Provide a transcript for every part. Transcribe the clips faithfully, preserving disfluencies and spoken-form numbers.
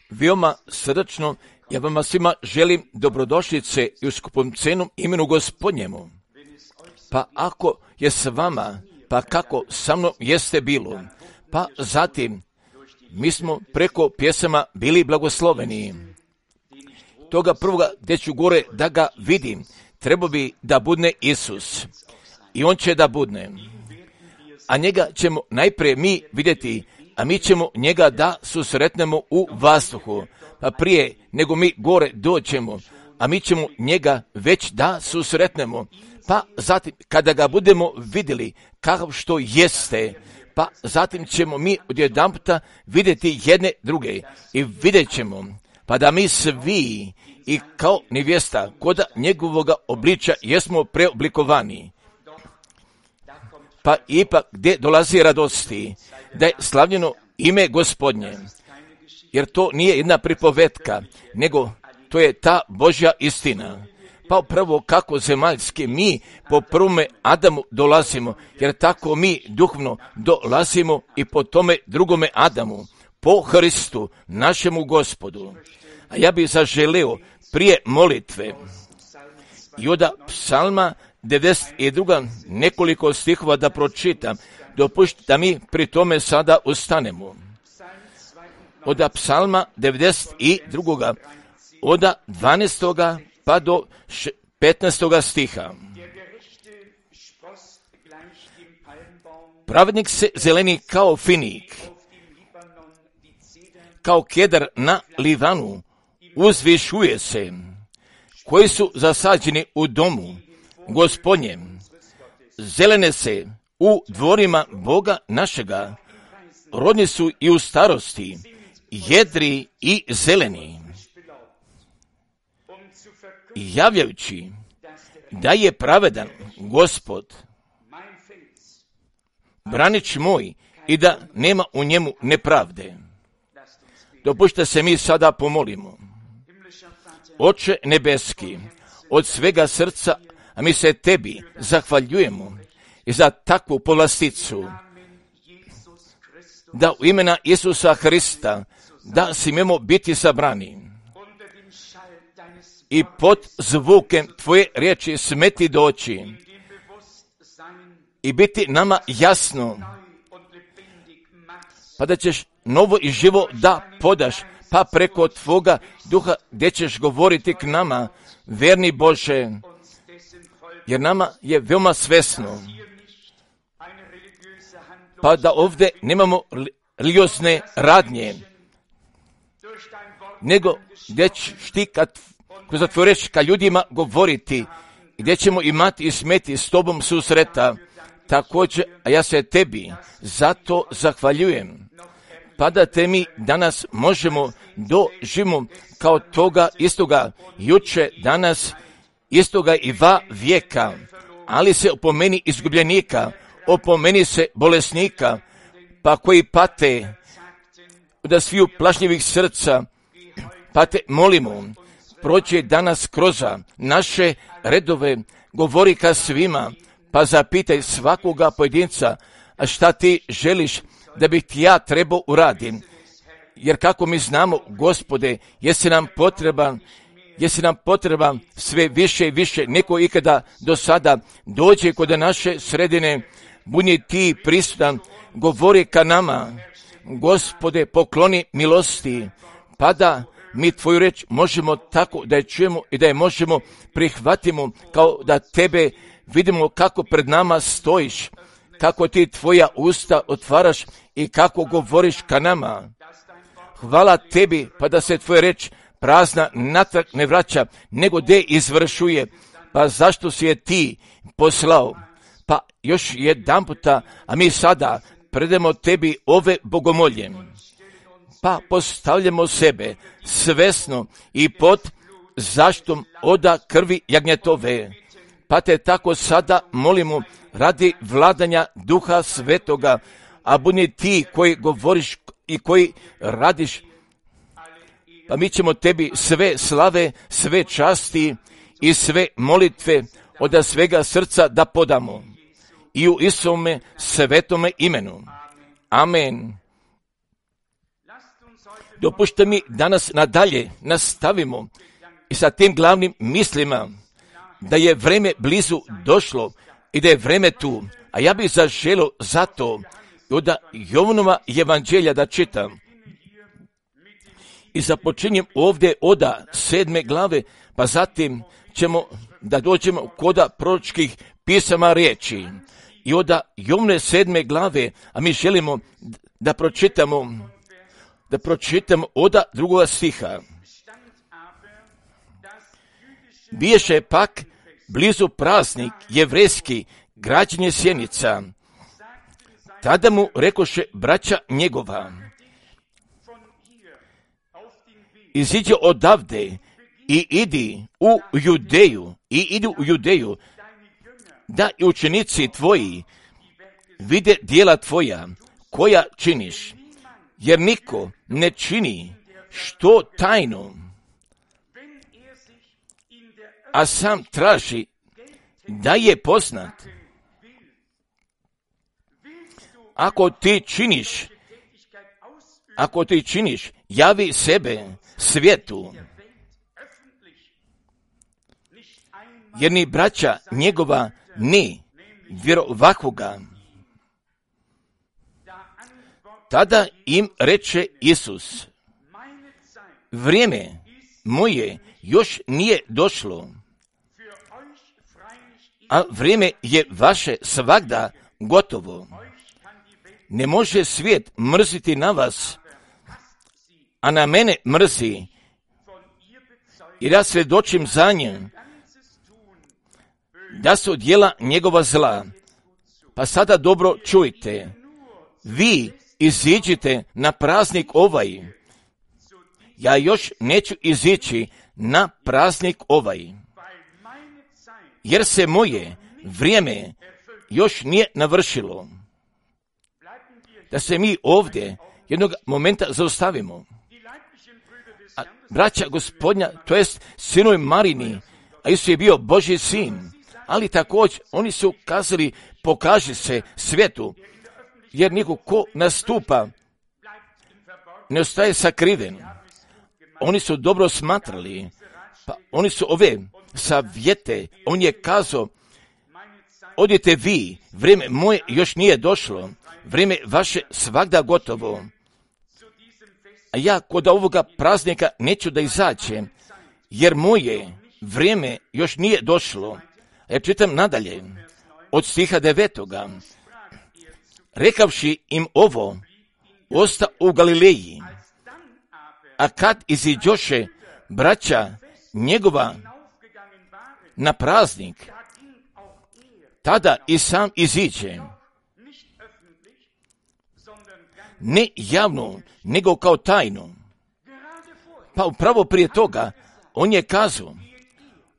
Veoma srdačno ja vama svima želim dobrodošlice i u skupom cenom imenu Gospodnjemu. Pa ako je s vama, pa kako sa mnom jeste bilo, pa zatim mi smo preko pjesama bili blagosloveni. Toga prvoga gdje ću gore da ga vidim, treba bi da budne Isus. I on će da budne. A njega ćemo najprije mi vidjeti, a mi ćemo njega da susretnemo u vazduhu. Pa prije nego mi gore dođemo, a mi ćemo njega već da susretnemo. Pa zatim kada ga budemo vidjeli kakav što jeste, pa zatim ćemo mi odjedanputa vidjeti jedne druge i vidjet ćemo, pa da mi svi i kao nevjesta kod njegovoga obličja jesmo preoblikovani. Pa ipak gdje dolazi radosti, da je slavljeno ime Gospodnje, jer to nije jedna pripovetka, nego to je ta Božja istina. Pa upravo kako zemaljski mi po prvome Adamu dolazimo, jer tako mi duhovno dolazimo i po tome drugome Adamu, po Hristu, našemu Gospodu. A ja bih zaželeo prije molitve i od psalma devedeset dva nekoliko stihova da pročitam, dopušti da mi pri tome sada ustanemo. Od psalma devedeset dva od dvanaestoga pa do petnaestoga stiha. Pravednik se zeleni kao finik, kao kedar na Livanu, uzvišuje se, koji su zasađeni u domu Gospodnjem, zelene se u dvorima Boga našega, rodni su i u starosti, jedri i zeleni, javljajući da je pravedan Gospod, branič moj, i da nema u njemu nepravde. Dopušta se mi sada pomolimo. Oče nebeski, od svega srca, a mi se tebi zahvaljujemo i za takvu povlasticu, da u imena Isusa Hrista, da smijemo biti sabrani i pod zvukem tvoje riječi smeti doći i biti nama jasno, pa da ćeš novo i živo da podaš, pa preko tvoga duha gdje ćeš govoriti k nama, verni Bože, jer nama je veoma svesno, pa da ovdje nemamo religiozne radnje, nego gdje ćeš ti kad kroz tvoju reč ka ljudima govoriti, gdje ćemo imati i smeti s tobom susreta. Također, a ja se tebi zato zahvaljujem, pa da te mi danas možemo doživimo kao toga istoga juče, danas, istoga i va vijeka, ali se opomeni izgubljenika, opomeni se bolesnika, pa koji pate od sviju plašljivih srca, pa te molimo, prođe danas kroz naše redove, govori ka svima, pa zapitaj svakoga pojedinca, a šta ti želiš da bih ti ja trebao uradim. Jer kako mi znamo, Gospode, jesi nam potreban, jesi nam potreban sve više i više, neko ikada do sada dođe kod naše sredine, budi ti prisutan, govori ka nama, Gospode, pokloni milosti, pa da mi tvoju reč možemo tako da je čujemo i da je možemo prihvatimo, kao da tebe vidimo kako pred nama stojiš, kako ti tvoja usta otvaraš i kako govoriš ka nama. Hvala tebi, pa da se tvoja reč prazna natrag ne vraća, nego de izvršuje. Pa zašto si je ti poslao? Pa još jedan puta, a mi sada predemo tebi ove bogomolje. Pa postavljamo sebe svesno i pod zaštom oda krvi jagnjetove. Pa te tako sada molimo radi vladanja Duha Svetoga, a budi ti koji govoriš i koji radiš. Pa mi ćemo tebi sve slave, sve časti i sve molitve od svega srca da podamo. I u Isome svetome imenu. Amen. Dopušta mi danas nadalje nastavimo i sa tim glavnim mislima da je vreme blizu došlo i da je vreme tu. A ja bih zaželio zato od Jovanova evanđelja da čitam. I započinjem ovdje od sedme glave, pa zatim ćemo da dođemo kod proročkih pisama riječi. I od Jovne sedme glave, a mi želimo da pročitamo, da pročitamo od drugoga stiha. Biješe pak blizu praznik jevrejski, građenje sjenica. Tada mu rekoše braća njegova: iziđi odavde i idi u Judeju, i idu u Judeju, da i učenici tvoji vide djela tvoja, koja činiš, jer niko ne čini što tajno, a sam traži da je poznat. Ako ti činiš, ako ti činiš, javi sebe svijetu, jer ni braća njegova ni vjerovahoga. Tada im reče Isus: vrijeme moje još nije došlo, a vrijeme je vaše svagda gotovo. Ne može svijet mrziti na vas, a na mene mrzi, jer ja svjedočim za njem da su djela njegova zla. Pa sada dobro čujte, vi iziđite na praznik ovaj, ja još neću izići na praznik ovaj, jer se moje vrijeme još nije navršilo. Da se mi ovdje jednog momenta zaustavimo. A braća Gospodnja, to jest sinovi Marini, a Isus je bio Božji sin, ali također oni su kazali: pokaži se svijetu, jer niko ko nastupa ne ostaje sakriven. Oni su dobro smatrali, pa oni su ove savjete, on je kazao: odite vi, vrijeme moje još nije došlo, vrijeme vaše svagda gotovo. A ja kod ovoga praznika neću da izađem, jer moje vrijeme još nije došlo. Ja čitam nadalje, od stiha devetoga. Rekavši im ovo, osta u Galileji, a kad iziđoše braća njegova na praznik, tada i sam iziđe, ne javno, nego kao tajno. Pa upravo prije toga on je kazao: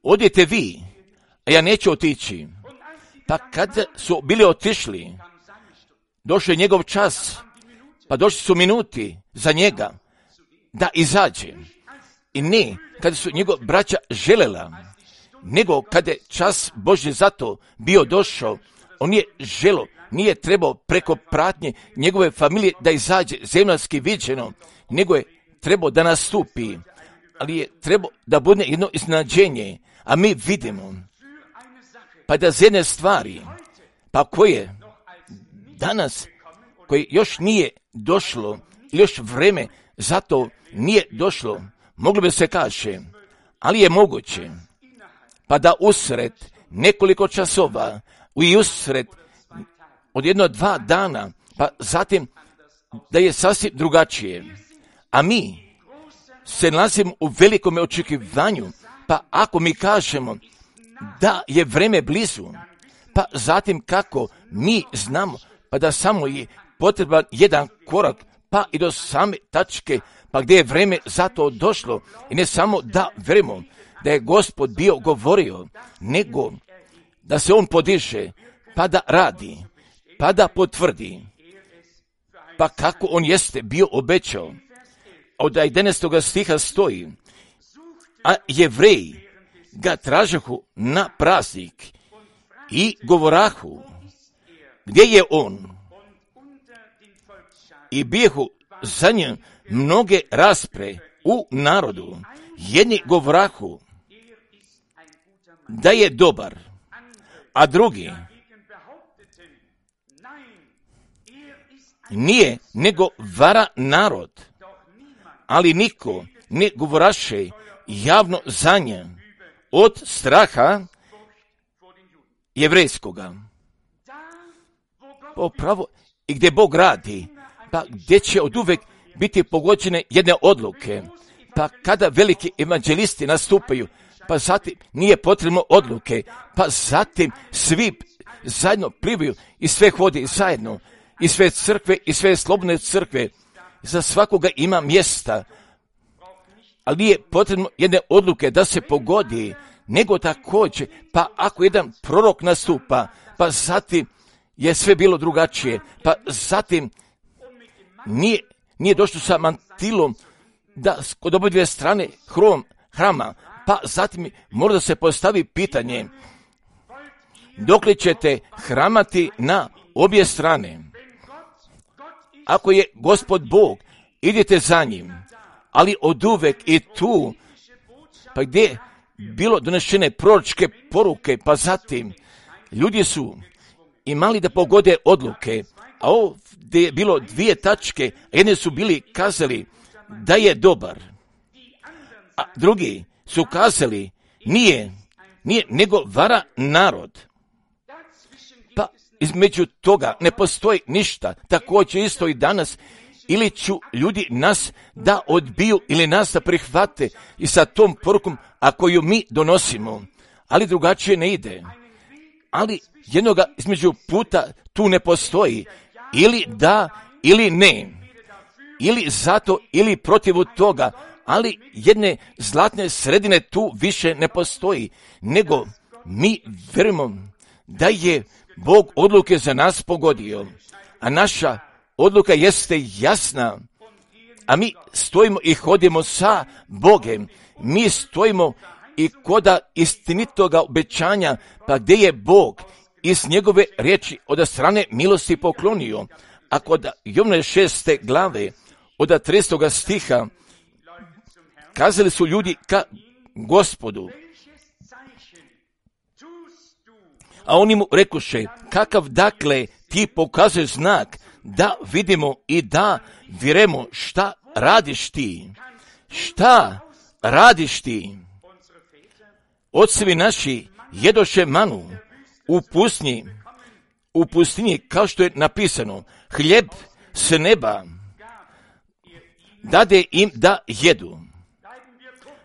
odite vi, a ja neću otići. Pa kad su bili otišli, došao je njegov čas, pa došli su minuti za njega da izađe. I ne kada su njegov braća želela, nego kada je čas Božji zato bio došao, on je želo, nije trebao preko pratnje njegove familije da izađe zemaljski viđeno, nego je trebao da nastupi, ali je trebao da bude jedno iznenađenje, a mi vidimo, pa da z jedne stvari, pa koje danas, koje još nije došlo, još vreme zato nije došlo, moglo bi se kaže, ali je moguće, pa da usred nekoliko časova, i usred od jedno dva dana, pa zatim da je sasvim drugačije. A mi se nalazimo u velikom očekivanju, pa ako mi kažemo da je vreme blizu, pa zatim kako mi znamo, pa da samo je potreban jedan korak, pa i do same tačke, pa gdje je vreme zato došlo, i ne samo da vremo da je Gospod bio govorio, nego da se on podiže, pa da radi, pa da potvrdi, pa kako on jeste bio obećao. Od jedanaestog stiha stoji: a Jevreji ga tražahu na praznik i govorahu, gdje je on? I bijehu za njim mnoge raspre u narodu. Jedni govrahu da je dobar, a drugi nije, nego vara narod. Ali niko ne govoraše javno za nje od straha jevrejskoga. Popravo, i gdje Bog radi, pa gdje će od uvek biti pogođene jedne odluke, pa kada veliki evanđelisti nastupaju, pa zatim nije potrebno odluke, pa zatim svi zajedno plivaju i sve hodi zajedno, i sve crkve i sve slobodne crkve, za svakoga ima mjesta, ali nije potrebno jedne odluke da se pogodi, nego također, pa ako jedan prorok nastupa, pa zatim je sve bilo drugačije, pa zatim nije, nije došlo sa mantilom da kod obe dvije strane hrom, hrama, pa zatim mora da se postavi pitanje, dokle ćete hramati na obje strane? Ako je Gospod Bog, idite za njim, ali oduvek i tu, pa gdje je bilo donešene proročke poruke, pa zatim ljudi su imali da pogode odluke, a ovdje je bilo dvije tačke, jedne su bili kazali da je dobar, a drugi su kazali nije, nije, nego vara narod. Pa između toga ne postoji ništa, također isto i danas, ili ću ljudi nas da odbiju ili nas da prihvate i sa tom porukom, a koju mi donosimo, ali drugačije ne ide. Ali jednoga između puta tu ne postoji, ili da, ili ne, ili zato, ili protiv toga, ali jedne zlatne sredine tu više ne postoji, nego mi vjerujemo da je Bog odluke za nas pogodio, a naša odluka jeste jasna, a mi stojimo i hodimo sa Bogem, mi stojimo i koda istinitoga obećanja, pa gdje je Bog iz njegove riječi od strane milosti poklonio, a kod Jovne šeste glave, od tridesetog stiha, kazali su ljudi ka Gospodu, a oni mu rekuše, kakav dakle ti pokazuješ znak, da vidimo i da vjerujemo šta radiš ti. Šta radiš ti? Ocevi naši jedoše manu u pustinji, u pustinji kao što je napisano, hljeb s neba dade im da jedu.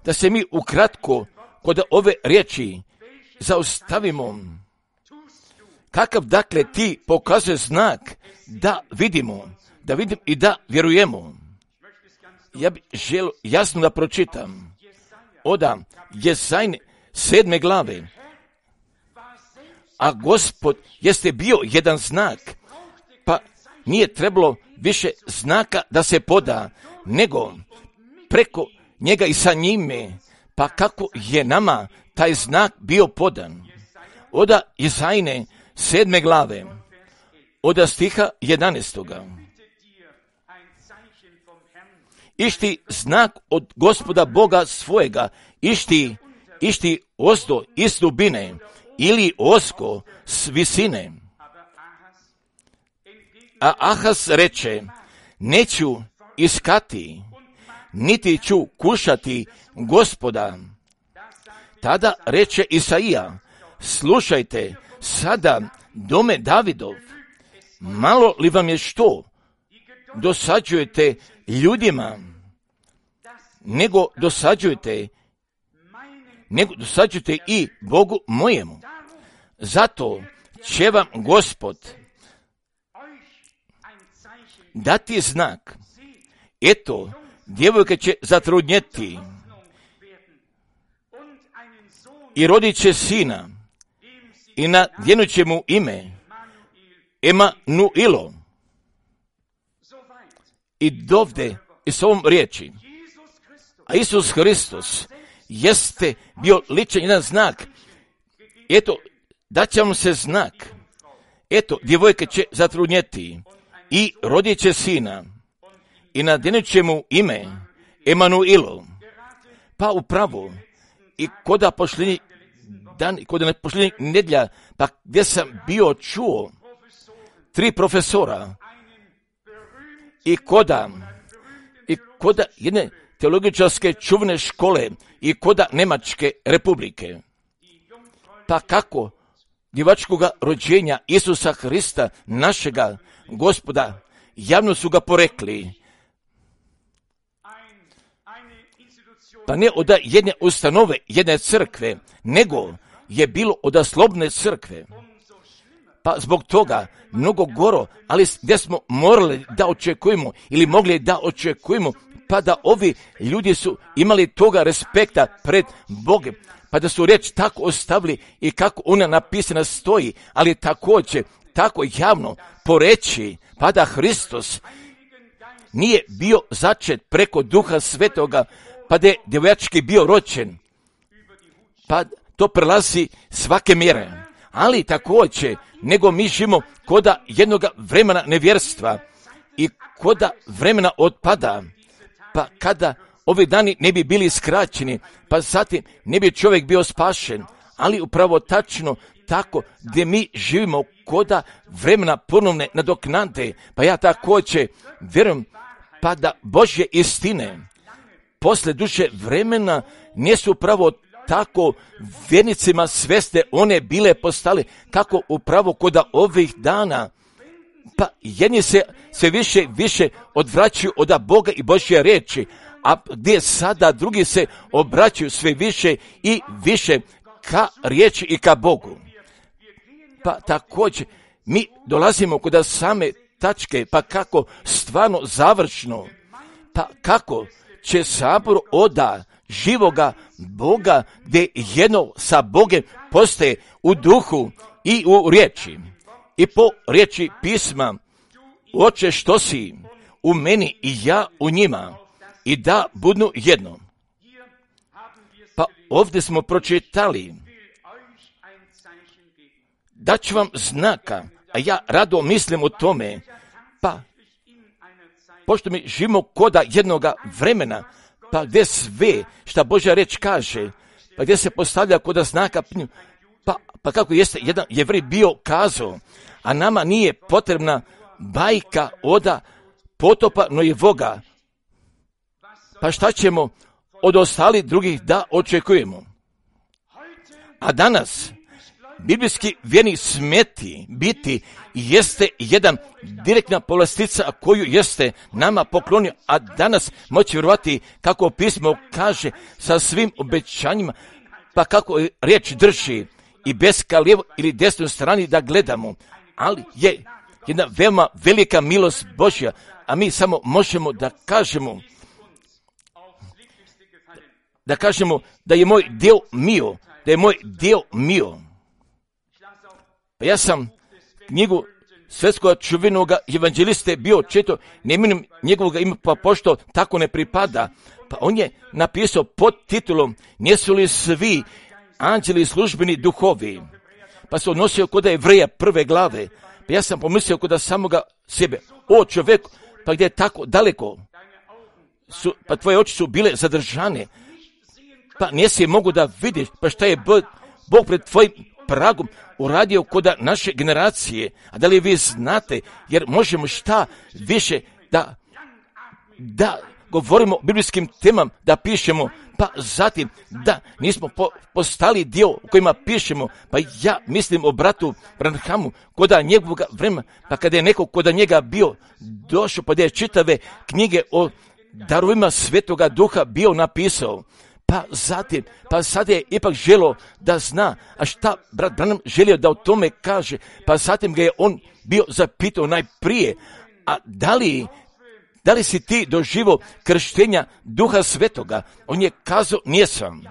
Da se mi ukratko kod ove riječi zaustavimo. Kakav dakle ti pokazuje znak da vidimo, da vidimo i da vjerujemo? Ja bih želio jasno da pročitam. Oda Jesajne sedme glave. A Gospod jeste bio jedan znak, pa nije trebalo više znaka da se poda, nego preko njega i sa njime, pa kako je nama taj znak bio podan. Oda Jesajne sedme glave, od stiha jedanaestoga. Išti znak od Gospoda Boga svojega, išti, išti ozdo iz dubine, ili osko s visine. A Ahaz reče, neću iskati, niti ću kušati Gospoda. Tada reče Isaija, slušajte, sada dome Davidov, malo li vam je što dosađujete ljudima, nego dosađujete, nego dosađujete i Bogu mojemu. Zato će vam Gospod dati znak. Eto, djevojka će zatrudnjeti i rodit će sina i nadjenut će mu ime Emanuilo. I dovde i s ovom riječi, a Isus Hristos jeste bio ličan jedan znak. Eto, daće vam se znak. Eto, djevojka će zatrudnjeti i rodit će sina i nadjenut će mu ime Emanuilu. Pa upravo, i koda pošljenje dan, koda pošljenje nedjelja, pa gdje sam bio čuo tri profesora i koda, i koda jedne teologičarske čuvne škole i koda Njemačke republike. Pa kako djevačkoga rođenja Isusa Hrista, našega Gospoda, javno su ga porekli. Pa ne od jedne ustanove, jedne crkve, nego je bilo od slobodne crkve. Pa zbog toga mnogo goro, ali gdje smo morali da očekujemo ili mogli da očekujemo, pa da ovi ljudi su imali toga respekta pred Bogom, pa da su riječ tako ostavili i kako ona napisana stoji, ali također tako javno poreći, pa da Hristos nije bio začet preko Duha Svetoga, pa da je djevojački bio rođen, pa to prelazi svake mjere. Ali također, nego mi živimo koda jednoga vremena nevjerstva i koda vremena otpada, pa kada ovi dani ne bi bili skraćeni, pa zatim ne bi čovjek bio spašen, ali upravo tačno tako gdje mi živimo koda vremena ponovne nadoknade, pa ja također vjerujem pa da Božje istine posle duže vremena nisu upravo tako vjernicima sveste one bile postale, kako upravo koda ovih dana, pa jedni se sve više više odvraćaju od Boga i Božje riječi, a gdje sada drugi se obraćaju sve više i više ka riječi i ka Bogu. Pa također mi dolazimo kod same tačke, pa kako stvarno završno, pa kako će sabor oda živoga Boga, gdje jedno sa Bogom postaje u duhu i u riječi. I po riječi pisma, Oče što si u meni i ja u njima, i da budu jedno. Pa ovdje smo pročitali, da ću vam znaka, a ja rado mislim o tome, pa pošto mi živimo koda jednoga vremena, pa gdje sve šta Božja reč kaže, pa gdje se postavlja koda znaka, pa, pa kako jeste jedan Jevrej bio kazao, a nama nije potrebna bajka oda potopa Nojevoga, pa šta ćemo od ostalih drugih da očekujemo? A danas biblijski vjerni smeti biti jeste jedan direktna povlastica koju jeste nama poklonio, a danas moći vjerovati kako pismo kaže sa svim obećanjima, pa kako riječ drži i bez ka lijevo ili desnoj strani da gledamo, ali je jedna veoma velika milost Božja, a mi samo možemo da kažemo da kažemo da je moj dio mio, da je moj dio mio. Pa ja sam knjigu svjetskog čuvenog evanđeliste bio četo, ne imenujem njegovog ima, pa pošto tako ne pripada, pa on je napisao pod titulom Nisu li svi anđeli službeni duhovi, pa se odnosio kod Jevreja prve glave, pa ja sam pomislio kod samoga sebe, o čovjeku, pa gdje je tako daleko, su, pa tvoje oči su bile zadržane, pa nisi mogu da vidiš, pa šta je Bog pred tvojim pragom uradio kod naše generacije, a da li vi znate, jer možemo šta više da, da govorimo o biblijskim temama, da pišemo, pa zatim da nismo po, postali dio u kojima pišemo, pa ja mislim o bratu Branhamu, koda njegovog vremena, pa kada je neko koda njega bio došao, pa da je čitave knjige o darovima Svetoga Duha bio napisao, pa zatim, pa sad je ipak želio da zna, a šta brat Branham želio da o tome kaže, pa zatim ga je on bio zapitao najprije, a da li, da li si ti doživio krštenja Duha Svetoga? On je kazao, nijesam.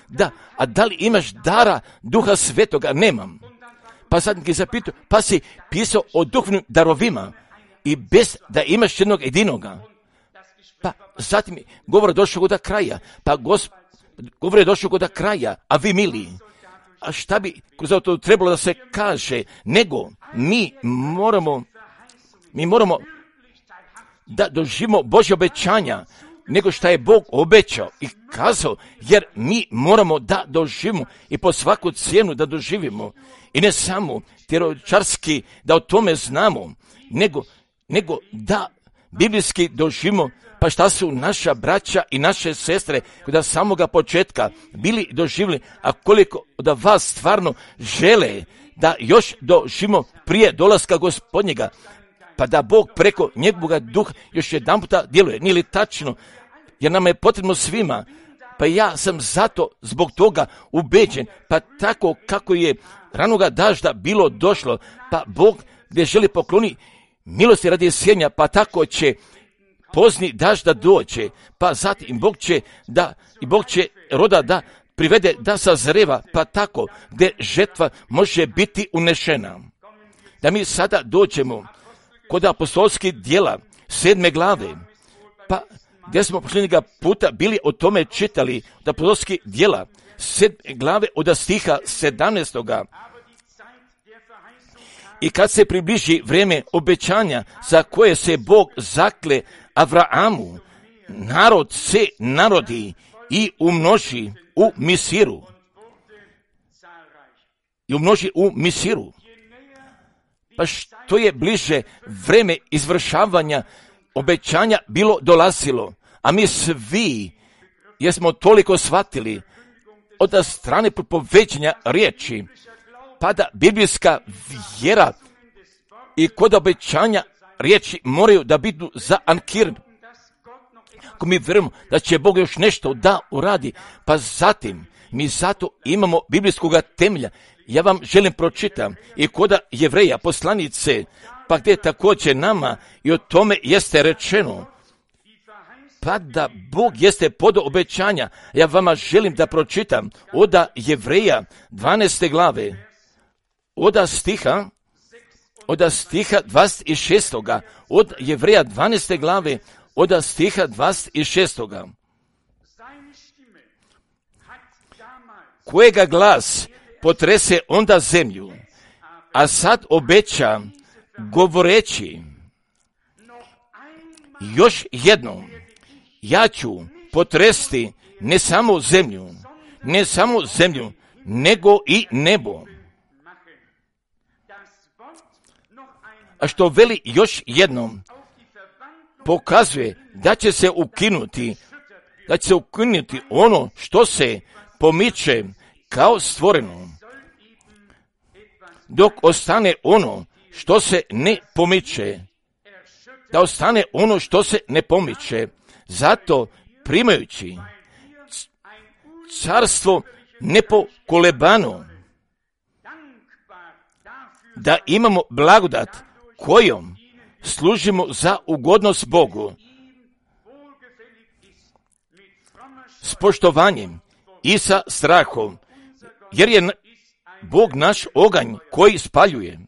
Da, a da li imaš dara Duha Svetoga? Nemam. Pa sad ga je zapitao, pa si pisao o duhovnim darovima i bez da imaš jednog jedinoga. Pa zatim govor došao do kraja, pa gospod Govor je došao kod kraja, a vi mili, a šta bi za to trebalo da se kaže, nego mi moramo, mi moramo da doživimo Božje obećanja, nego što je Bog obećao i kazao, jer mi moramo da doživimo i po svaku cijenu da doživimo. I ne samo teoretičarski da o tome znamo, nego, nego da biblijski doživimo, pa šta su naša braća i naše sestre koji od samoga početka bili doživjeli, a koliko da vas stvarno žele da još doživimo prije dolaska Gospodnjega, pa da Bog preko njegovoga duha još jedan puta djeluje. Nije li tačno? Jer nam je potrebno svima. Pa ja sam zato zbog toga ubeđen, pa tako kako je ranoga dažda bilo došlo, pa Bog gdje želi pokloni milosti radi sjenja, pa tako će pozni dažda doće, pa zatim Bog će da, i Bog će roda da privede da sazreva, pa tako gdje žetva može biti unešena. Da mi sada dođemo kod apostolskih djela sedme glave, pa gdje smo posljednjega puta bili o tome čitali, od apostolskih djela sedme glave od stiha sedamnaestoga. I kad se približi vrijeme obećanja za koje se Bog zakle Avraamu, narod se narodi i umnoži u Misiru. I umnoži u Misiru. Pa što je bliže vrijeme izvršavanja obećanja bilo dolazilo, a mi svi jesmo toliko shvatili od strane propoveđenja riječi, pa da biblijska vjera i kod obećanja riječi moraju da budu zaankirani. Ako mi vjerujemo da će Bog još nešto da uradi, pa zatim mi zato imamo biblijskog temelja. Ja vam želim pročitam i kod Jevreja poslanice, pa gdje također nama i o tome jeste rečeno, pa da Bog jeste podao obećanja. Ja vama želim da pročitam od Jevreja dvanaeste glave, od stiha, od stiha dvadeset šestoga, od Jevreja dvanaeste glave, od stiha dvadeset šestoga. Kojega glas potrese onda zemlju, a sad obeća govoreći, još jednom, ja ću potresti ne samo zemlju, ne samo zemlju, nego i nebo. A što veli još jednom, pokazuje da će se ukinuti, da će se ukinuti ono što se pomiče kao stvoreno, dok ostane ono što se ne pomiče, da ostane ono što se ne pomiče. Zato primajući carstvo nepokolebano, da imamo blagodat kojom služimo za ugodnost Bogu, s poštovanjem i sa strahom, jer je Bog naš oganj koji spaljuje.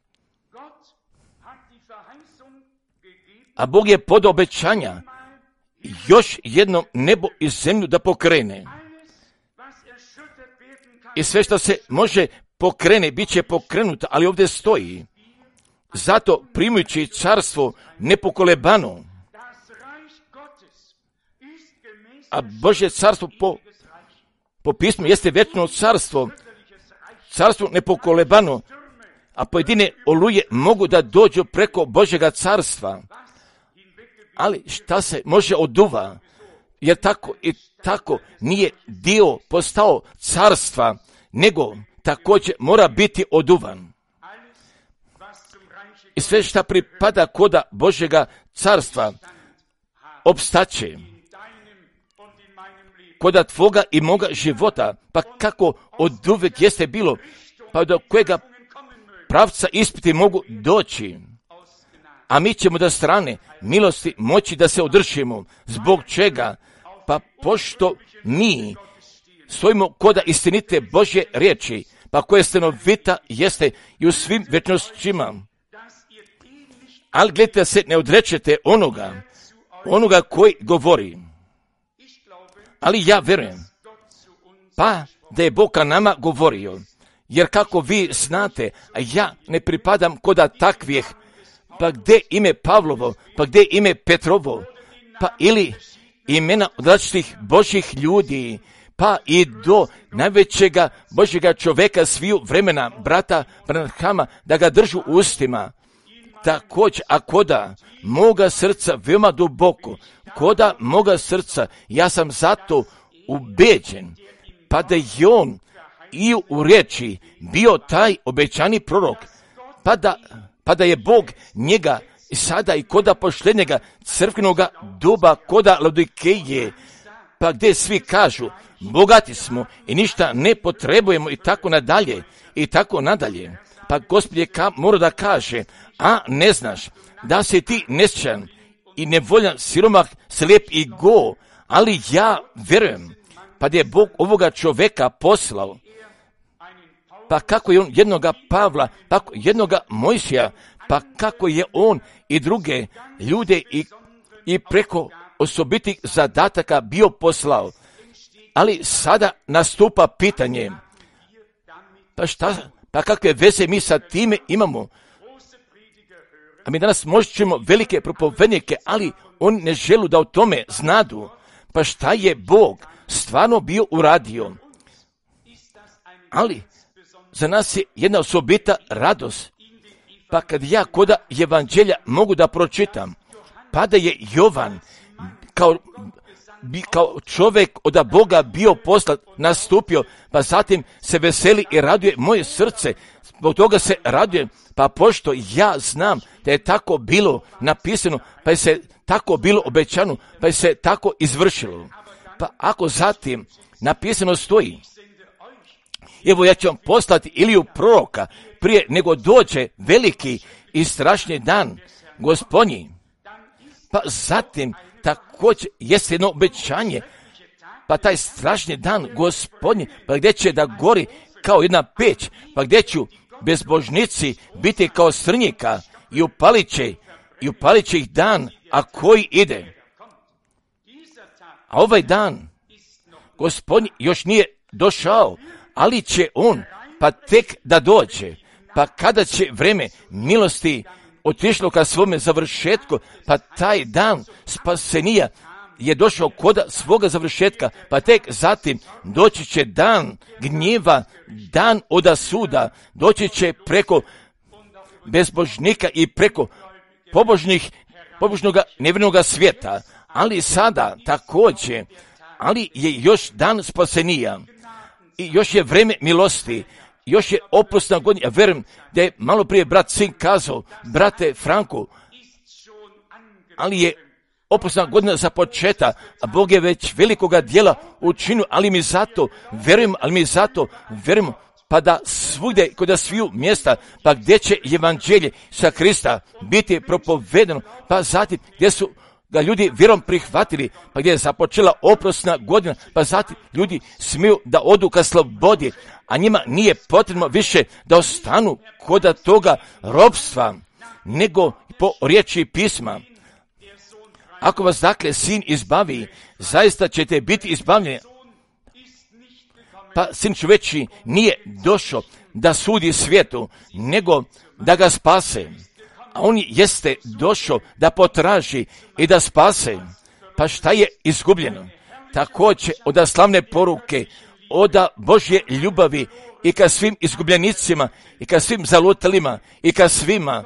A Bog je pod obećanja još jednom nebo i zemlju da pokrene. I sve što se može pokrene, bit će pokrenuto, ali ovdje stoji. Zato primajući carstvo nepokolebano, a Božje carstvo po, po pismu jeste vječno carstvo, carstvo nepokolebano, a pojedine oluje mogu da dođu preko Božjega carstva. Ali šta se može oduva, jer tako i tako nije dio postao carstva, nego također mora biti oduvan. I sve šta pripada koda Božjega carstva opstaće koda tvoga i moga života, pa kako od uvijek jeste bilo, pa do kojega pravca ispiti mogu doći. A mi ćemo da strane milosti moći da se održimo. Zbog čega? Pa pošto mi stojimo koda istinite Božje riječi, pa koje stanovita jeste i u svim vječnostima. Ali gledajte da se ne odrečete onoga, onoga koji govori. Ali ja vjerujem, pa da je Bog ka nama govorio, jer kako vi znate, a ja ne pripadam koda takvih pa gdje ime Pavlovo, pa gdje ime Petrovo, pa ili imena od različitih Božjih ljudi, pa i do najvećega Božjega čovjeka sviju vremena, brata Branhama, da ga držu u ustima. Također, a koda moga srca veoma duboko, koda moga srca, ja sam zato ubeđen, pa da je on i u riječi bio taj obećani prorok, pa da, pa da je Bog njega i sada i koda pošljenjega crkvenoga doba, koda Laodikeje, pa gdje svi kažu, bogati smo i ništa ne potrebujemo i tako nadalje, i tako nadalje. Pa Gospod je ka, mora da kaže, a ne znaš da si ti nesčan i nevoljan, siromah, slijep i go, ali ja vjerujem, pa da je Bog ovoga čovjeka poslao, pa kako je on jednoga Pavla, pa jednoga Mojsija, pa kako je on i druge ljude i, i preko osobitih zadataka bio poslao. Ali sada nastupa pitanje, pa šta, pa kakve veze mi sa time imamo? A mi danas možemo velike propovednike, ali oni ne žele da o tome znadu. Pa šta je Bog stvarno bio uradio? Ali za nas je jedna osobita radost. Pa kad ja koda evanđelja mogu da pročitam, pa da je Jovan kao, kao čovjek od Boga bio poslat, nastupio, pa zatim se veseli i raduje moje srce, zbog toga se raduje, pa pošto ja znam da je tako bilo napisano, pa je se tako bilo obećano, pa je se tako izvršilo. Pa ako zatim napisano stoji, evo ja ću vam poslati Iliju proroka prije nego dođe veliki i strašni dan Gospodnji. Pa zatim također jeste jedno obećanje, pa taj strašni dan Gospodnji, pa gdje će da gori kao jedna peć, pa gdje ću bezbožnici biti kao srnjika i upalit će, i upalit će ih dan, a koji ide. A ovaj dan Gospodnji još nije došao, ali će on pa tek da dođe, pa kada će vreme milosti otišlo ka svome završetku, pa taj dan spasenija je došao kod svoga završetka, pa tek zatim doći će dan gnjeva, dan oda suda, doći će preko bezbožnika i preko pobožnih, pobožnoga nevjernoga svijeta, ali sada također, ali je još dan spasenija i još je vreme milosti, još je opusna godina. Ja vjerujem da je malo prije brat sin kazao, brate Franku, ali je opusna godina za početak, a Bog je već velikoga dijela učinio, ali mi zato vjerujem, ali mi zato vjerujem, pa da svugdje, kod sviju mjesta, pa gdje će evanđelje sa Krista biti propovedeno, pa zatim gdje su ga ljudi vjerom prihvatili, pa gdje je započela oprosna godina, pa zatim ljudi smiju da odu ka slobodi, a njima nije potrebno više da ostanu kod toga ropstva, nego po riječi pisma. Ako vas dakle sin izbavi, zaista ćete biti izbavljeni. Pa sin čovječji nije došao da sudi svijetu, nego da ga spase. A on jeste došao da potraži i da spase. Pa šta je izgubljeno? Također od slavne poruke, od Božje ljubavi i ka svim izgubljenicima, i ka svim zalutalima, i ka svima.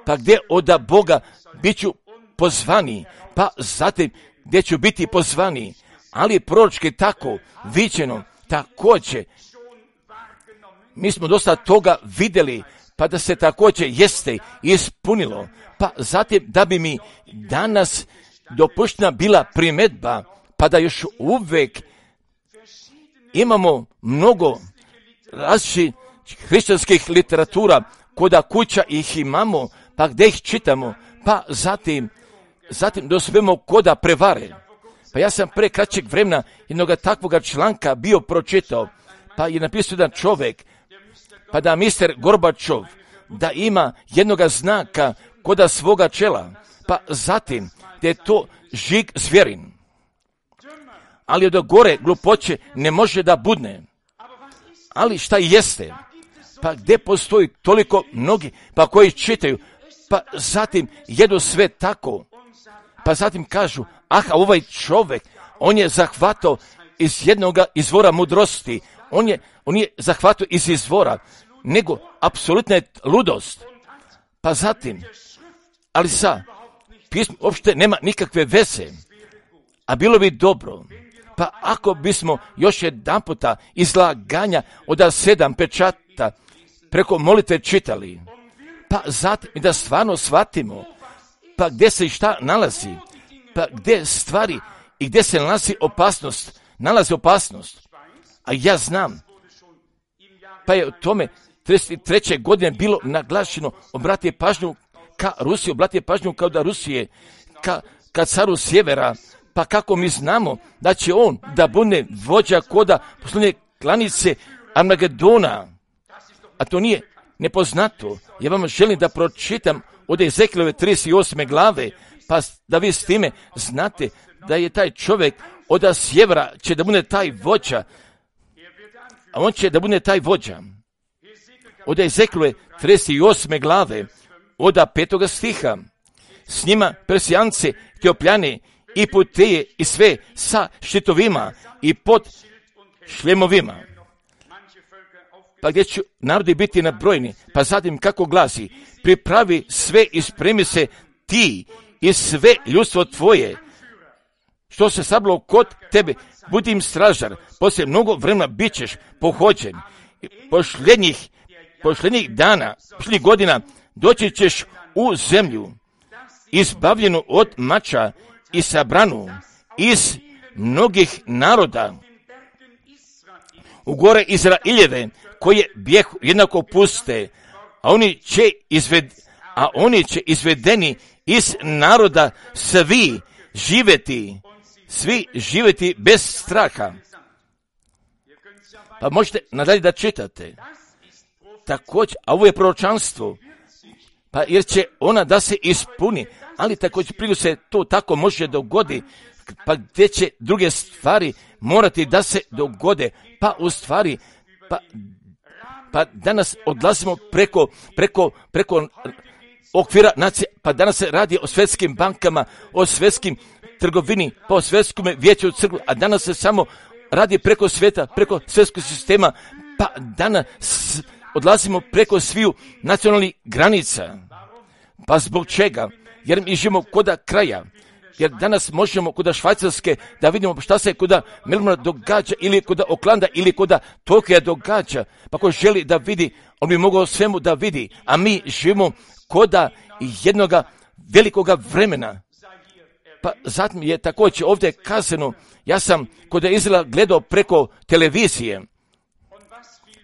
Pa gdje od Boga bit ću pozvani, pa zatim gdje ću biti pozvani, ali proročki tako viđeno, također. Mi smo dosta toga vidjeli, pa da se također jeste ispunilo, pa zatim da bi mi danas dopuštena bila primjedba, pa da još uvijek imamo mnogo različitih hrišćanskih literatura, koda kuća ih imamo, pa gdje ih čitamo, pa zatim, zatim dospemo koda prevare. Pa ja sam pre kraćeg vremena jednog takvoga članka bio pročitao, pa je napisao jedan čovjek, pa da mister Gorbačov, da ima jednoga znaka koda svoga čela, pa zatim da je to žig zvjerin. Ali od gore glupoće ne može da budne. Ali šta jeste? Pa gdje postoji toliko mnogi, pa koji čitaju, pa zatim jedu sve tako, pa zatim kažu, aha, ovaj čovjek, on je zahvatao iz jednoga izvora mudrosti, on je, on je zahvatao iz izvora, nego apsolutna je ludost. Pa zatim, ali sa pismom uopšte nema nikakve veze, a bilo bi dobro, pa ako bismo još jedan puta izlaganja od sedam pečata preko molitve čitali, pa zatim da stvarno shvatimo, pa gdje se i šta nalazi, pa gdje stvari i gdje se nalazi opasnost, nalazi opasnost. A ja znam, pa je o tome trideset treće godine bilo naglašeno, obratite pažnju ka Rusiji, obratite pažnju kao da Rusije, ka, ka caru sjevera, pa kako mi znamo da će on da bude vođa koda posljednje klanice Armagedona, a to nije nepoznato. Ja vam želim da pročitam od Ezekijelove trideset osme glave, pa da vi s time znate da je taj čovjek od sjevera će da bude taj vođa, a on će da bude taj vođa. Od Ezekijelove trideset osme glave, od petoga stiha, s njima Persijance, Teopljane i Puteje i sve sa štitovima i pod šljemovima. Pa gdje će narodi biti nabrojeni, pa zatim kako glasi, pripravi sve i spremi se ti i sve ljudstvo tvoje, što se sablo kod tebe, budi im stražar, poslije mnogo vremena bit ćeš pohođen, posljednjih, posljednjih dana, posljednjih godina, doći ćeš u zemlju, izbavljenu od mača i sabranu iz mnogih naroda, u gore Izraeljeve, koje bjehu jednako puste, a oni će izved, a oni će izvedeni iz naroda svi živjeti, svi živjeti bez straha. Pa možete nadalje da čitate. Također, a ovo je proročanstvo, pa jer će ona da se ispuni, ali također prije se to tako može dogodi, pa gdje će druge stvari morati da se dogode, pa u stvari, pa, pa danas odlazimo preko, preko, preko okvira nacije, pa danas se radi o svjetskim bankama, o svjetskim trgovini, pa o svjetskom vijeću crkvu, a danas se samo radi preko svijeta, preko svjetskog sistema, pa danas odlazimo preko sviju nacionalnih granica. Pa zbog čega? Jer mi živimo koda kraja. Jer danas možemo koda Švajcarske da vidimo šta se koda Melbourne događa, ili koda Oklanda, ili koda Tokija događa. Pa ko želi da vidi, on bi mogao svemu da vidi. A mi živimo koda jednoga velikoga vremena. Pa zatim je također ovdje kazano, ja sam koda Izraela gledao preko televizije.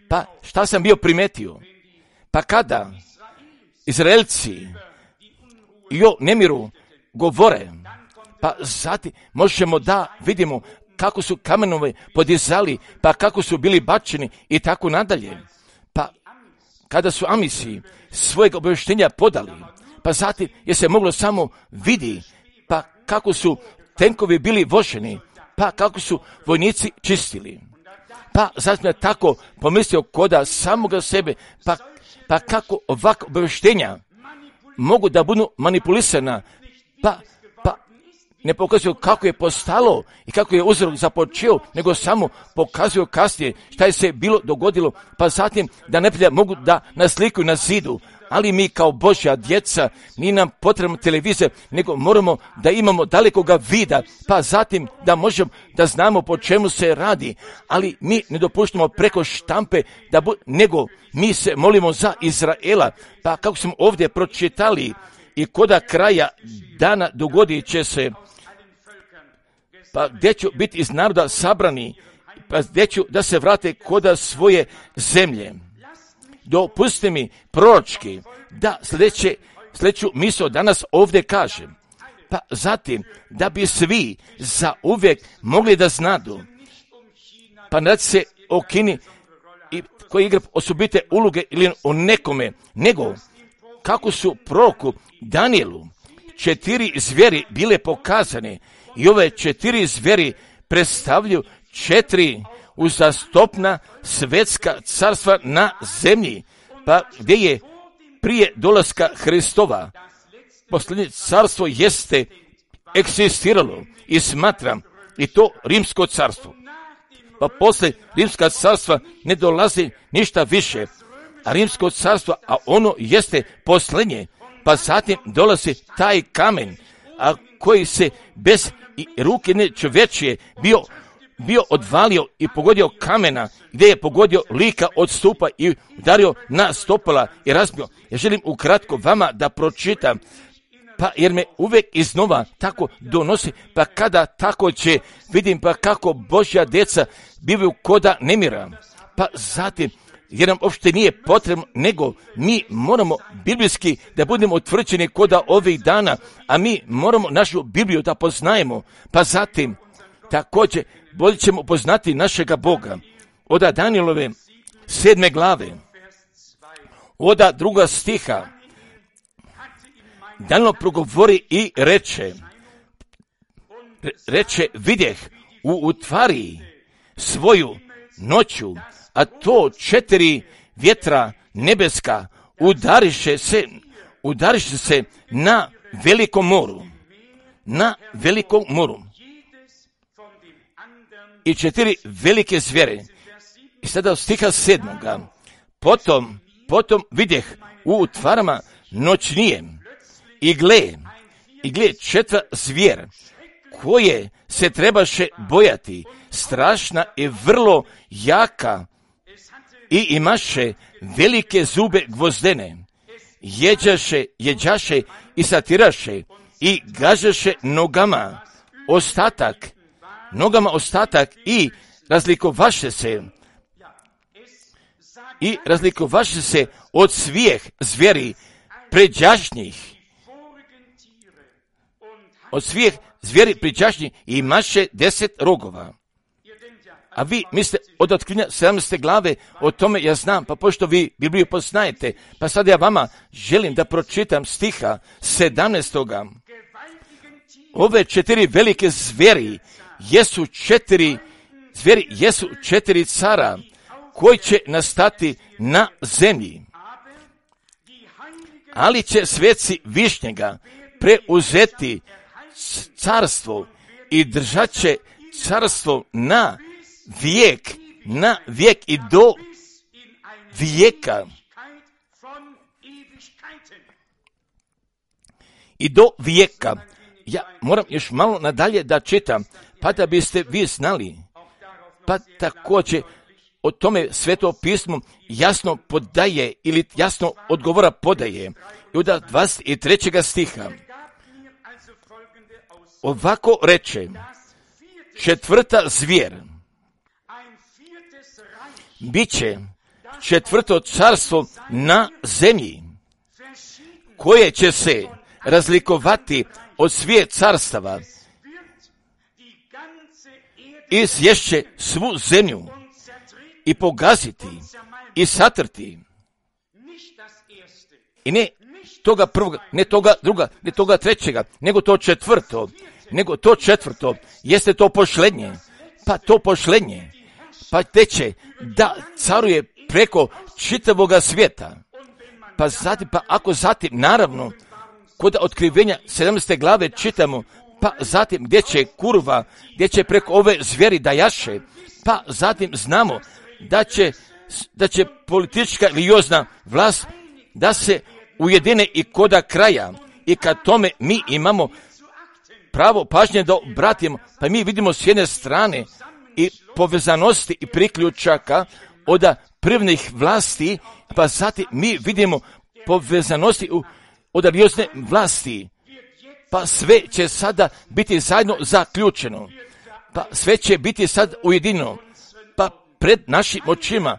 Pa šta sam bio primetio? Pa kada Izraelci i o nemiru govore, pa zatim možemo da vidimo kako su kamenove podizali, pa kako su bili bačeni i tako nadalje. Pa kada su Amisi svojeg obavještenja podali, pa zatim je se moglo samo vidi, pa kako su tenkovi bili voženi, pa kako su vojnici čistili. Pa zatim je tako pomislio koda samoga sebe, pa, pa kako ovakva obavještenja mogu da budu manipulisana, pa, pa ne pokazuju kako je postalo i kako je uzrok započeo, nego samo pokazuju kasnije šta je se bilo dogodilo, pa zatim da neprijatelja mogu da naslikuju na zidu. Ali mi kao Božja djeca, nije nam potrebna televizija, nego moramo da imamo dalekoga vida, pa zatim da možemo da znamo po čemu se radi, ali mi ne dopuštamo preko štampe, da bu, nego mi se molimo za Izraela, pa kako smo ovdje pročitali, i koda kraja dana dogodit će se, pa gdje ću biti iz naroda sabrani, pa gdje ću da se vrate koda svoje zemlje. Dopustite mi proročki da sljedeće, sljedeću misao danas ovdje kažem. Pa zatim, da bi svi za uvijek mogli da znadu, pa ne radi se o Kini i koji igra osobite uloge ili o nekome, nego kako su proroku Danielu četiri zvijeri bile pokazane i ove četiri zvijeri predstavljaju četiri uzastopna svetska carstva na zemlji, pa gdje je prije dolaska Hristova. Posljednje carstvo jeste eksistiralo i smatram i to rimsko carstvo. Pa poslije rimska carstva ne dolazi ništa više, a rimsko carstvo, a ono jeste posljednje, pa zatim dolazi taj kamen, a koji se bez i ruke ne čovječije bio, bio odvalio i pogodio kamena, gdje je pogodio lika od stupa i udario na stopala i razbio. Ja želim ukratko vama da pročitam, pa jer me uvijek iznova tako donosi, pa kada tako će, vidim pa kako Božja djeca bivaju koda nemira. Pa zatim, jer nam uopšte nije potrebno, nego mi moramo biblijski da budemo utvrđeni koda ovih dana, a mi moramo našu Bibliju da poznajemo. Pa zatim, također, bolje ćemo poznati našega Boga. Oda Danijelove sedme glave, oda druga stiha, Danilo progovori i reče, reče, vidjeh u utvari svoju noću, a to četiri vjetra nebeska udariše se, udariše se na velikom moru, na velikom moru. I četiri velike zvijere. I sada od stiha sedmoga, potom, potom vidjeh u utvarama noćnije, i gle, i gle četvra zvijer, koje se trebaše bojati, strašna i vrlo jaka, i imaše velike zube gvozdene, jeđaše, jeđaše i satiraše, i gažaše nogama ostatak, nogama ostatak i razlikovaše se, i razlikovaše se od svih zvijeri pređašnjih, od svih zvijeri pređašnjih i imaše deset rogova. A vi mislite od otkrivenja sedamnaeste glave, o tome ja znam, pa pošto vi Bibliju poznajete, pa sad ja vama želim da pročitam stiha sedamnaestoga. Ove četiri velike zvijeri jesu četiri, zvijeri jesu četiri cara koji će nastati na zemlji. Ali će sveci Višnjega preuzeti carstvo i držat će carstvo na vijek, na vijek i do vijeka. I do vijeka. Ja moram još malo nadalje da čitam, pa da biste vi znali. Pa također o tome Sveto pismo jasno podaje ili jasno odgovora podaje. I od dvadeset trećeg stiha. Ovako reče, četvrta zvijer, bit će četvrto carstvo na zemlji, koje će se razlikovati od svih carstava i sješće svu zemlju i pogaziti i satrti. I ne toga prvog, ne toga druga, ne toga trećega, nego to četvrto, nego to četvrto, jeste to pošlednje, pa to pošlednje, pa teče da caruje preko čitavoga svijeta. Pa zatim, pa ako zatim, naravno, kod otkrivenja sedamnaeste glave čitamo, pa zatim gdje će kurva, gdje će preko ove zvijeri da jaše, pa zatim znamo da će, da će politička religiozna vlast da se ujedine i koda kraja, i kad tome mi imamo pravo pažnje da obratimo, pa mi vidimo s jedne strane i povezanosti i priključaka od prvnih vlasti, pa zatim mi vidimo povezanosti od religiozne vlasti, pa sve će sada biti zajedno zaključeno, pa sve će biti sad ujedinjeno, pa pred našim očima,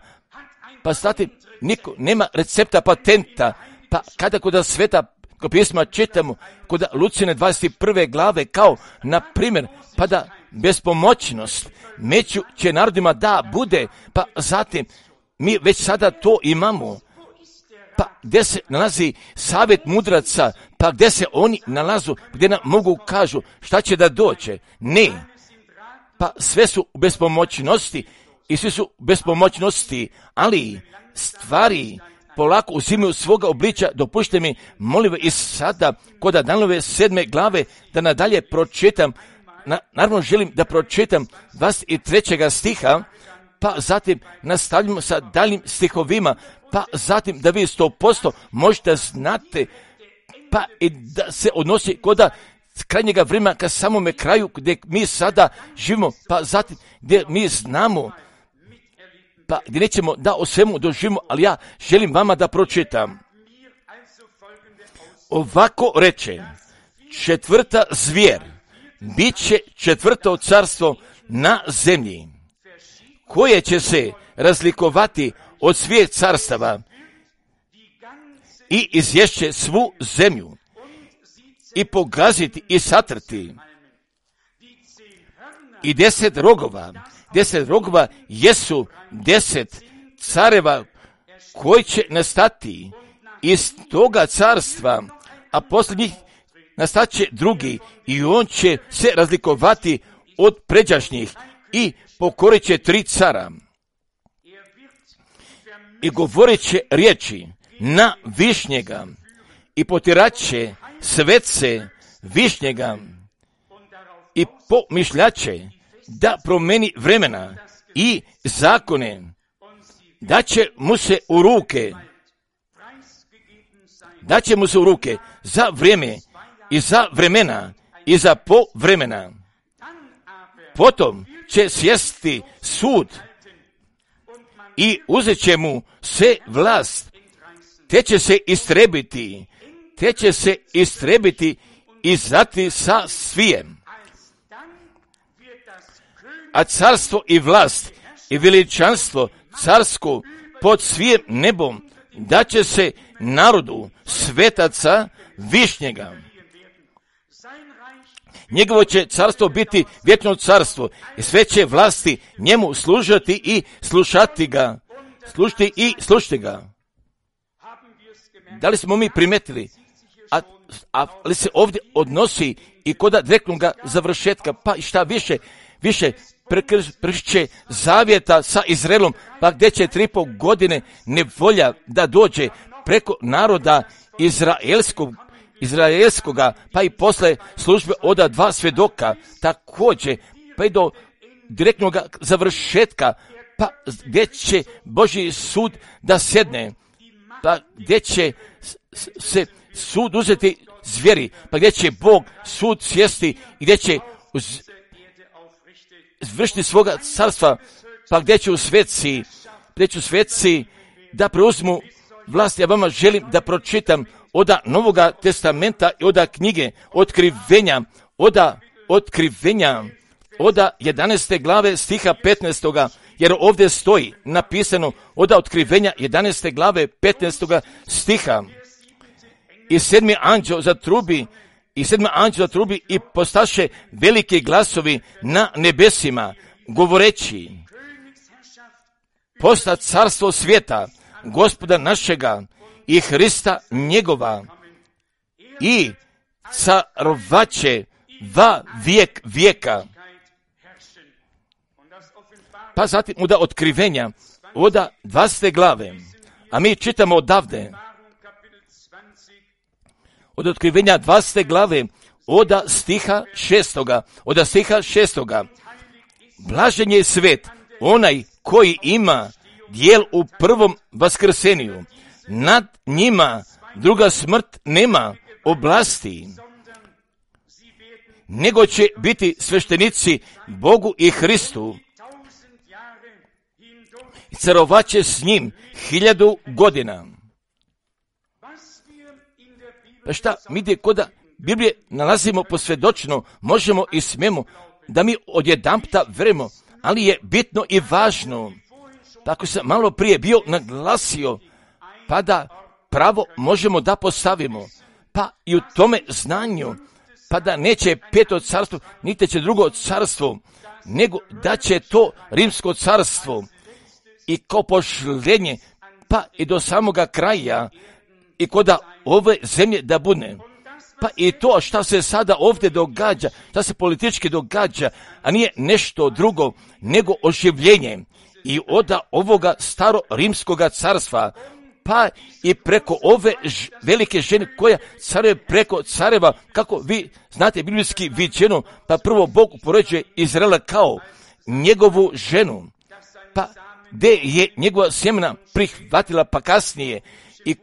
pa zatim niko nema recepta patenta, pa kada kod sveta kod pisma čitamo, kod Lucijine dvadeset prve glave, kao na primjer, pa da bespomoćnost među će narodima da bude, pa zatim mi već sada to imamo, pa gdje se nalazi savjet mudraca, pa gdje se oni nalazu, gdje nam mogu kažu šta će da dođe, ne, pa sve su u bespomoćnosti i svi su u bespomoćnosti, ali stvari polako uzimaju svoga obličja. Dopušte mi, molim i sada, kod Danilove sedme glave, da nadalje pročitam. Na, naravno želim da pročitam dvadeset trećeg stiha, pa zatim nastavljamo sa daljim stihovima, pa zatim da vi sto posto možete znate, pa i da se odnosi kod krajnjega vremena ka samome kraju gdje mi sada živimo, pa zatim gdje mi znamo, pa gdje nećemo da o svemu doživimo, ali ja želim vama da pročitam. Ovako reče, četvrta zvijer, bit će četvrto carstvo na zemlji, koje će se razlikovati od svih carstava i izješće svu zemlju i pogaziti i satrti. I deset rogova, deset rogova jesu deset careva koji će nastati iz toga carstva, a poslije njih nastat će drugi i on će se razlikovati od pređašnjih i pokorit će tri cara. I govorit će riječi na višnjega i potirat će svece višnjega i pomišljaće da promeni vremena i zakone, da će mu se u ruke, da će mu se u ruke za vrijeme i za vremena i za povremena. Potom će sjesti sud i uzet će mu se vlast, te će se istrebiti, te će se istrebiti i zati sa svijem. A carstvo i vlast i veličanstvo carsko pod svijem nebom da će se narodu svetaca višnjega. Njegovo će carstvo biti vječno carstvo i sve će vlasti njemu služati i slušati ga, slušati i slušati ga. Da li smo mi primetili, a, a li se ovdje odnosi i kod direktnog završetka, pa i šta više, više prekršće zavjeta sa Izraelom, pa gdje će tri po godine nevolja da dođe preko naroda izraelskog, izraelskoga, pa i posle službe oda dva svjedoka, također, pa i do direktnog završetka, pa gdje će Božji sud da sjedne, pa gdje će se sud uzeti zvijeri, pa gdje će Bog sud sjesti i gdje će uz, vršiti svoga carstva, pa gdje će u sveci, gdje će u sveci da preuzmu vlast. Ja vama želim da pročitam oda Novoga testamenta i oda knjige Otkrivenja, oda Otkrivenja, oda jedanaeste glave stiha petnaestoga, jer ovdje stoji napisano oda Otkrivenja jedanaeste glave petnaestoga stiha. I sedmi anđeo zatrubi, i sedmi anđeo zatrubi i postaše veliki glasovi na nebesima, govoreći: posta carstvo svijeta, Gospoda našega i Hrista njegova, i carovaće va vijek vijeka. Pa zatim oda Otkrivenja, oda dvadesete glave, a mi čitamo odavde, od Otkrivenja dvadesete glave, oda stiha šestoga, oda stiha šestoga. Blažen je svet, onaj koji ima dijel u prvom vaskrseniju. Nad njima druga smrt nema oblasti, nego će biti sveštenici Bogu i Hristu. I carovaće s njim hiljadu godina. Pa šta, mi gdje koda Biblije nalazimo posvjedočno, možemo i smemo da mi odjedanputa verujemo, ali je bitno i važno, tako sam malo prije bio naglasio, pa da pravo možemo da postavimo, pa i u tome znanju, pa da neće peto carstvo, niti će drugo carstvo, nego da će to rimsko carstvo i kao pošljenje, pa i do samoga kraja, i koda ove zemlje da bude. Pa i to šta se sada ovdje događa, šta se politički događa, a nije nešto drugo nego oživljenje i oda ovoga staro rimskoga carstva, pa i preko ove ž, velike žene koja caruje preko careva, kako vi znate biblijski viđeno, pa prvo Bog upoređuje Izraela kao njegovu ženu, pa gdje je njegova sjemena prihvatila, pa kasnije i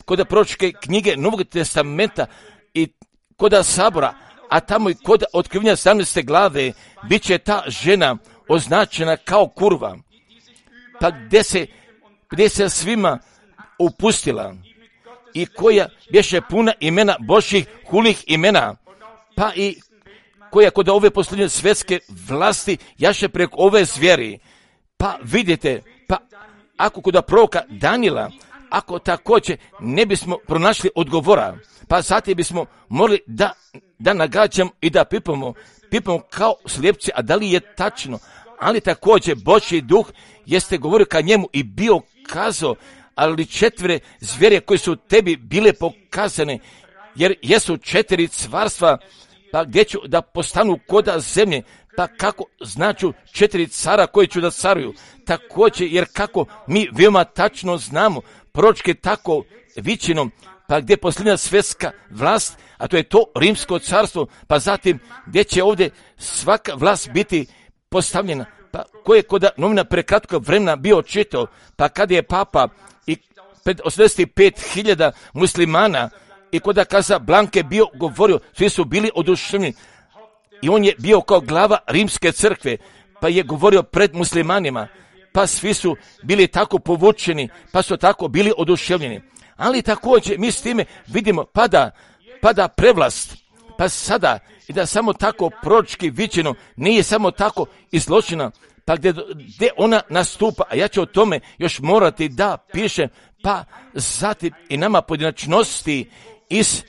kod proročke knjige Novog testamenta i kod sabora, a tamo i kod otkrivenja sedamnaeste glave, bit će ta žena označena kao kurva, pa gdje se, gdje se svima upustila i koja bješe puna imena Božjih hulih imena, pa i koja kod ove posljednje svjetske vlasti jaše preko ove zvijeri. Pa vidite, pa ako kod proroka Danila, ako također ne bismo pronašli odgovora, pa zatim bismo morali da, da nagađamo i da pipamo, pipamo kao slijepci, a da li je tačno, ali također Božji duh jeste govorio ka njemu i bio kazao, ali četvere zvijere koje su tebi bile pokazane, jer jesu četiri carstva, pa gdje ću da postanu koda zemlje, pa kako značu četiri cara koji ću da caruju, također jer kako mi veoma tačno znamo, proročke tako vićinom, pa gdje je posljednja svjetska vlast, a to je to rimsko carstvo, pa zatim gdje će ovdje svaka vlast biti postavljena, pa koje je kod novina prekratkog vremena bio čitao, pa kada je papa i pred osamdeset pet hiljada muslimana i kod Kaza Blanke bio govorio, svi su bili oduševljeni i on je bio kao glava rimske crkve, pa je govorio pred muslimanima, pa svi su bili tako povučeni, pa su tako bili oduševljeni. Ali također mi s time vidimo pada, pada prevlast, pa sada i da samo tako proročki viđeno nije samo tako izločena, pa gdje, gdje ona nastupa, a ja ću o tome još morati da pišem, pa zatim i nama pojedinačnosti iz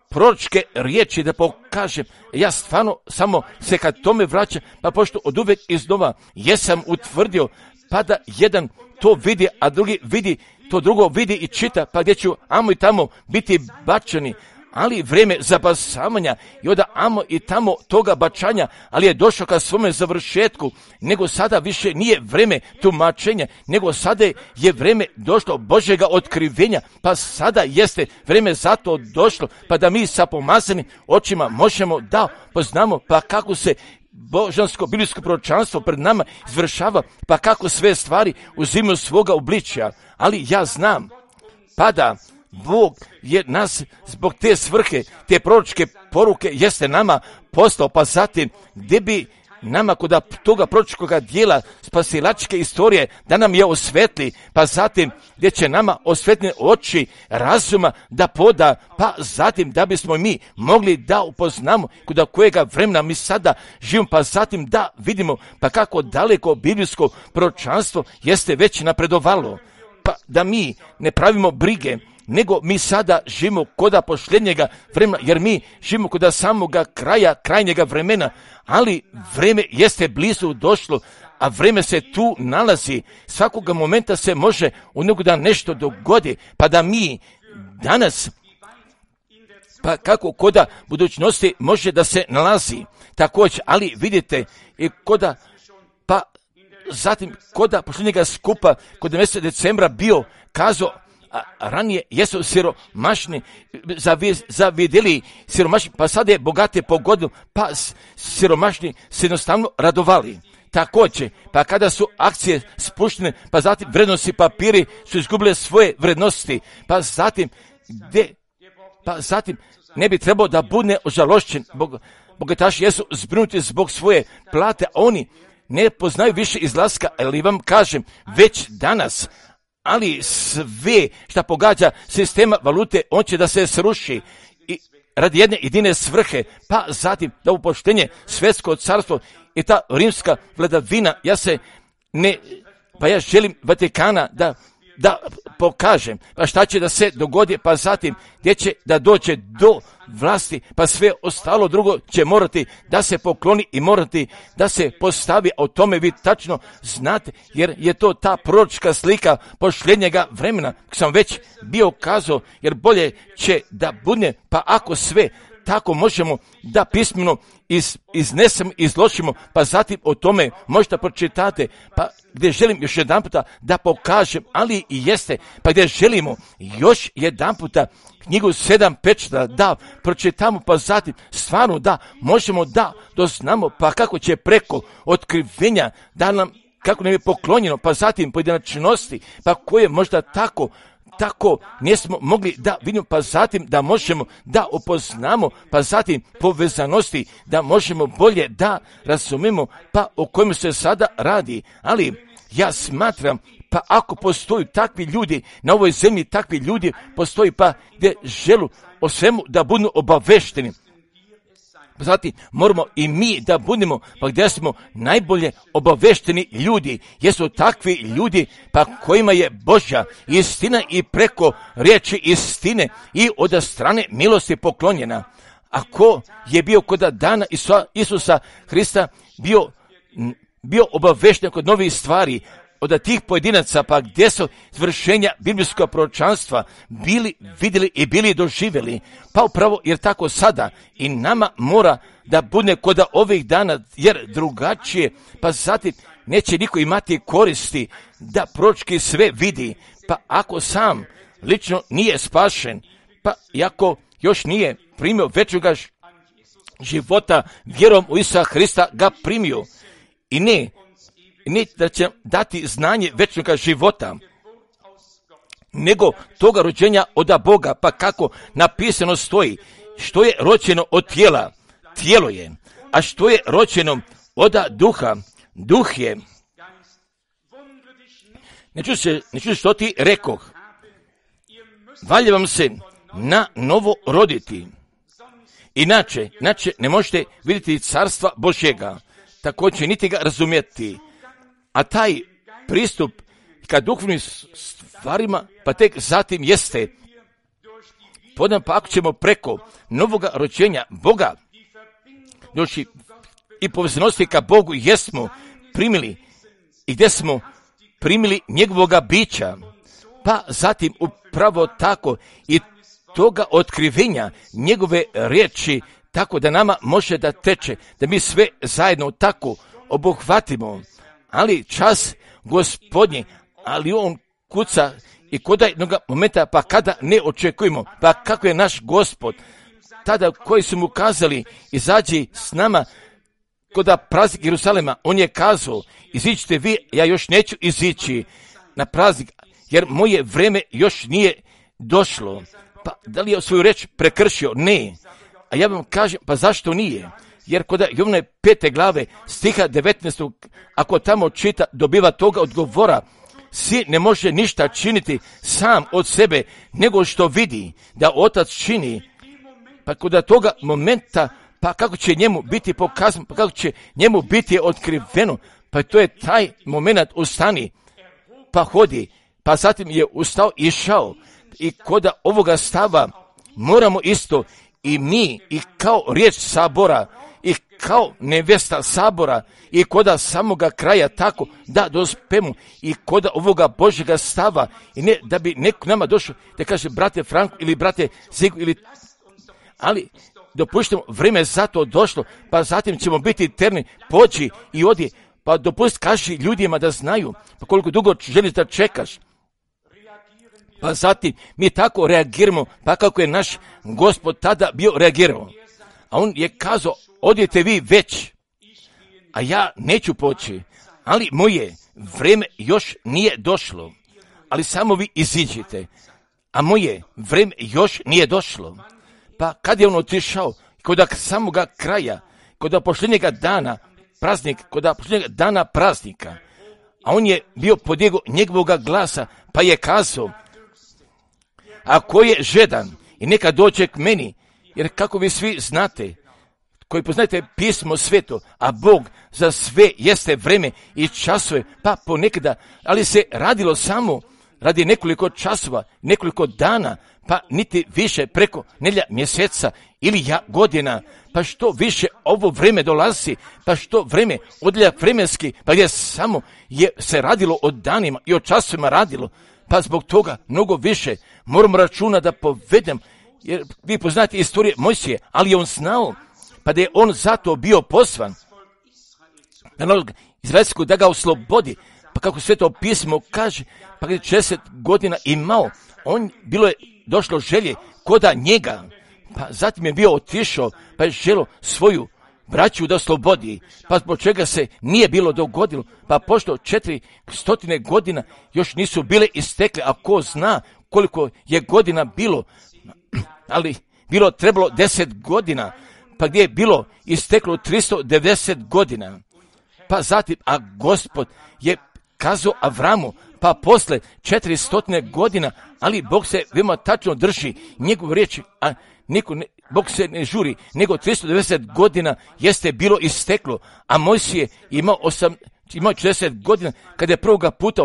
proročke riječi da pokažem. Ja stvarno samo se kad tome vraćam, pa pošto od uvek iznova jesam utvrdio, pa da jedan to vidi, a drugi vidi, to drugo vidi i čita, pa gdje ću amo i tamo biti bačeni, ali vrijeme zabasavanja i onda amo i tamo toga bačanja, ali je došao ka svome završetku, nego sada više nije vrijeme tumačenja, nego sada je vrijeme došlo Božjega otkrivenja, pa sada jeste vrijeme zato došlo, pa da mi sa pomazanim očima možemo da poznamo, pa kako se božansko biblijsko proročanstvo pred nama izvršava, pa kako sve stvari uzimaju svoga obličja, ali ja znam, pa da Bog je nas zbog te svrhe, te proročke poruke jeste nama postao, pa zatim gdje bi nama kod toga proročkoga dijela spasilačke istorije da nam je osvetli, pa zatim gdje će nama osvetne oči razuma da poda, pa zatim da bismo mi mogli da upoznamo kod kojega vremena mi sada živimo, pa zatim da vidimo pa kako daleko biblijsko proročanstvo jeste već napredovalo, pa da mi ne pravimo brige, nego mi sada živimo koda posljednjega vremena, jer mi živimo koda samoga kraja, krajnjega vremena, ali vreme jeste blizu došlo, a vreme se tu nalazi, svakoga momenta se može u nego da nešto dogodi, pa da mi danas, pa kako koda budućnosti može da se nalazi, također, ali vidite, i koda, pa zatim koda posljednjega skupa, kod mjeseca decembra bio kazao, a ranije jesu siromašni zavidjeli siromašni, pa sada je bogate pogodilo, pa siromašni se jednostavno radovali. Također, pa kada su akcije spuštene, pa zatim vrednosti papiri su izgubile svoje vrednosti, pa zatim gdje, pa zatim ne bi trebao da bude ožalošćen, Bog, bogataši jesu zbrinuti zbog svoje plate, a oni ne poznaju više izlaska, ali vam kažem, već danas, ali sve što pogađa sistema valute, on će da se sruši i radi jedne jedine svrhe, pa zatim da upoštenje svjetsko carstvo i ta rimska vladavina, ja se ne, pa ja želim Vatikana da, da pokažem, pa šta će da se dogodi, pa zatim gdje će da dođe do vlasti, pa sve ostalo drugo će morati da se pokloni i morati da se postavi, a o tome vi tačno znate, jer je to ta proročka slika posljednjega vremena, sam već bio kazao, jer bolje će da bude, pa ako sve tako možemo da pismeno iz, iznesemo, izložimo, pa zatim o tome možda pročitate, pa gdje želim još jedan puta da pokažem, ali i jeste, pa gdje želimo još jedan puta knjigu sedam pečata da pročitamo, pa zatim stvarno da možemo da doznamo, pa kako će preko otkrivenja da nam, kako nam je poklonjeno, pa zatim pojedinačnosti, pa koje možda tako tako nismo mogli da vidimo, pa zatim da možemo da upoznamo, pa zatim povezanosti, da možemo bolje da razumemo, pa o kojem se sada radi. Ali ja smatram, pa ako postoji takvi ljudi na ovoj zemlji, takvi ljudi postoji, pa gdje želu o svemu da budu obavešteni. Zatim moramo i mi da budemo, pa gdje smo najbolje obavešteni ljudi, jesu takvi ljudi pa kojima je Božja istina i preko riječi istine i od strane milosti poklonjena. Ako je bio kod dana Isusa Hrista bio, bio obavešten kod novih stvari, od tih pojedinaca, pa gdje su izvršenja biblijskog proročanstva bili vidjeli i bili doživjeli, pa upravo jer tako sada i nama mora da bude kod ovih dana, jer drugačije, pa zatim neće niko imati koristi da proročki sve vidi, pa ako sam lično nije spašen, pa iako još nije primio večnoga života, vjerom u Isusa Hrista ga primio i ne ne da će dati znanje večnoga života, nego toga rođenja od Boga, pa kako napisano stoji, što je rođeno od tijela, tijelo je, a što je rođeno od duha, duh je. Ne čuš se, ne čuš što ti rekoh, valja vam se na novo roditi, inače, inače ne možete vidjeti carstva Božjega, također niti ga razumjeti. A taj pristup ka duhovnim stvarima, pa tek zatim jeste, podam pa ako ćemo preko novoga rođenja Boga, doći i povezanosti ka Bogu jesmo primili i gdje smo primili njegovoga bića, pa zatim upravo tako i toga otkrivenja njegove riječi, tako da nama može da teče, da mi sve zajedno tako obuhvatimo. Ali čas Gospodnji, ali on kuca i kod jednog momenta, pa kada ne očekujemo, pa kako je naš Gospod, tada koji su mu kazali, izađi s nama kod praznik Jerusalema, on je kazao, iziđite vi, ja još neću izići na praznik, jer moje vreme još nije došlo. Pa da li je svoju reč prekršio? Ne. A ja vam kažem, pa zašto nije? Jer kod Jovane pete glave stiha devetnaestog ako tamo čita, dobiva toga odgovora, sin ne može ništa činiti sam od sebe, nego što vidi da otac čini. Pa kod toga momenta, pa kako će njemu biti pokazano, pa kako će njemu biti otkriveno, pa to je taj moment, ustani, pa hodi, pa zatim je ustao i išao. I kod ovoga stava moramo isto i mi, i kao riječ sabora, i kao nevesta sabora, i koda samoga kraja tako da dospemo i koda ovoga Božjega stava, i ne da bi neko nama došao da kaže brate Franko ili brate Zigu ili, ali dopuštamo vrijeme za to došlo, pa zatim ćemo biti eterni, pođi i odi, pa dopust kaži ljudima da znaju, pa koliko dugo želiš da čekaš. Pa zatim mi tako reagiramo, pa kako je naš Gospod tada bio reagirao. A on je kazao, odite vi već, a ja neću poći, ali moje vrijeme još nije došlo, ali samo vi iziđite, a moje vrijeme još nije došlo. Pa kad je on otišao, kod samoga kraja, kod posljednjega dana praznik, kod posljednjega dana praznika, a on je bio podijego njegovoga glasa, pa je kazao, ako je žedan i neka dođe k meni, jer kako vi svi znate, koji poznajete pismo sveto, a Bog za sve jeste vreme i časove, pa ponekada, ali se radilo samo radi nekoliko časova, nekoliko dana, pa niti više preko nedjelja, mjeseca ili ja godina, pa što više ovo vreme dolazi, pa što vreme odlja vremenski, pa gdje samo je se radilo o danima i o časovima radilo, pa zbog toga mnogo više moramo računa da povedem jer vi poznate istorije Mojsije, ali je on znao, pa da je on zato bio poslan, izraelskog da ga oslobodi, pa kako Sveto pismo kaže, pa kada je šezdeset godina imao, on bilo je došlo želje koda njega, pa zatim je bio otišao, pa je želo svoju braću da oslobodi, pa zbog čega se nije bilo dogodilo, pa pošto četiri stotine godina još nisu bile istekle, a ko zna koliko je godina bilo, ali bilo trebalo deset godina, pa gdje je bilo isteklo tristo devedeset godina, pa zatim, a Gospod je kazao Avramu, pa posle četiristo godina, ali Bog se veoma tačno drži njegovu riječ, a niko ne, Bog se ne žuri, nego tristo devedeset godina jeste bilo isteklo, a Mojsije imao, osam, imao četrdeset godina kada je prvoga puta,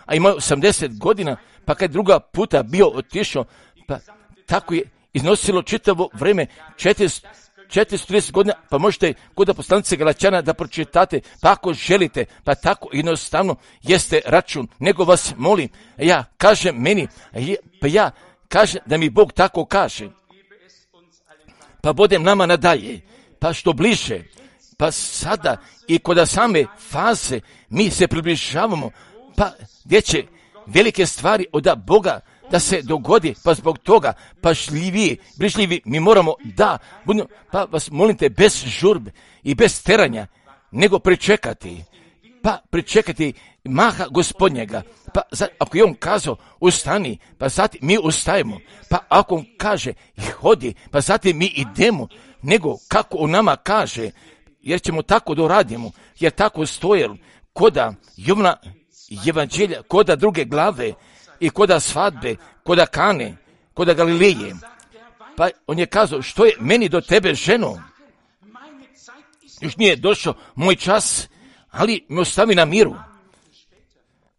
a imao osamdeset godina, pa kad je druga puta bio otišao, pa tako je iznosilo čitavo vreme četristo trideset godina, pa možete kod poslanice Galaćana da pročitate, pa ako želite, pa tako jednostavno jeste račun, nego vas molim, ja kažem meni, pa ja kažem da mi Bog tako kaže, pa budem nama nadalje, pa što bliže, pa sada i kod same faze mi se približavamo, pa gdje će velike stvari od Boga da se dogodi, pa zbog toga pašljiviji, brižljivi, mi moramo da budemo, pa vas molite bez žurbe i bez teranja, nego pričekati, pa pričekati maha Gospodnjega, pa za, ako je on kazao ustani, pa zatim mi ustajemo, pa ako on kaže hodi, pa zatim mi idemo, nego kako on nama kaže, jer ćemo tako da radimo, jer tako stoje koda Jovna evanđelja, koda druge glave, i koda svadbe, koda Kane, koda Galileje. Pa on je kazao, što je meni do tebe, ženo? Još nije došao moj čas, ali me ostavi na miru.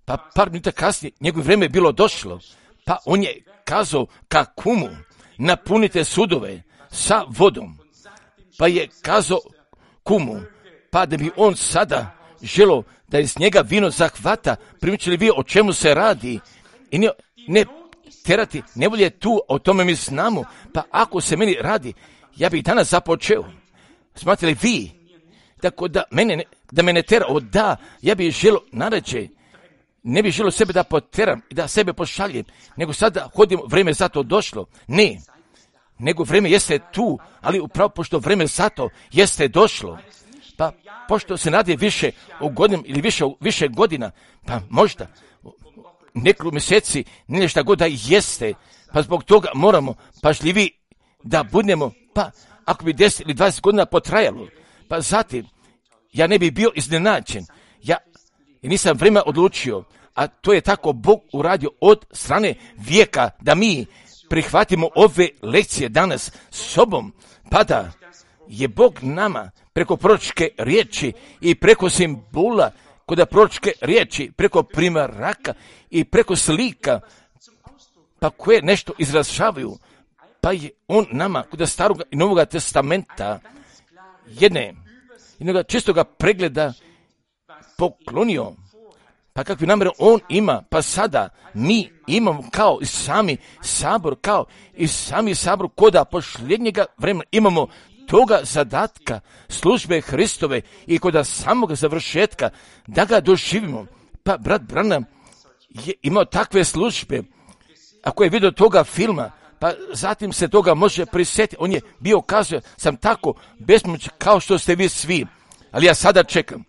Pa par minuta kasnije, njegovo vreme je bilo došlo. Pa on je kazao ka kumu, napunite sudove sa vodom. Pa je kazao kumu, pa da bi on sada želo da iz njega vino zahvata, primičili vi o čemu se radi, i ne, ne terati, ne volje tu, o tome mi znamo, pa ako se meni radi, ja bih danas započeo. Smatrali vi, tako da mene, da mene tera, o da, ja bih želo narađe, ne bih želo sebe da poteram i da sebe pošaljem, nego sada hodimo, vreme za to došlo. Ne, nego vreme jeste tu, ali upravo pošto vreme za to jeste došlo, pa pošto se radi više o godinama ili više, više godina, pa možda nekoliko mjeseci, ne šta god da jeste, pa zbog toga moramo pažljivi da budemo, pa ako bi deset ili dvadeset godina potrajalo, pa zatim ja ne bi bio iznenađen, ja nisam vremena odlučio, a to je tako Bog uradio od strane vijeka, da mi prihvatimo ove lekcije danas sobom, pa da je Bog nama preko proročke riječi i preko simbola, kod proročke riječi, preko primeraka i preko slika, pa koje nešto izražavaju, pa je on nama kod starog i novog testamenta jedne, jednog čistoga pregleda poklonio, pa kakvi namjere on ima, pa sada mi imamo kao i sami sabor, kao i sami sabor koda posljednjega vremena imamo toga zadatka službe Hristove i kod samog završetka da ga doživimo. Pa brat Branham je imao takve službe, ako je vidio toga filma, pa zatim se toga može prisjetiti. On je bio kazao, sam tako bespomoćan kao što ste vi svi, ali ja sada čekam.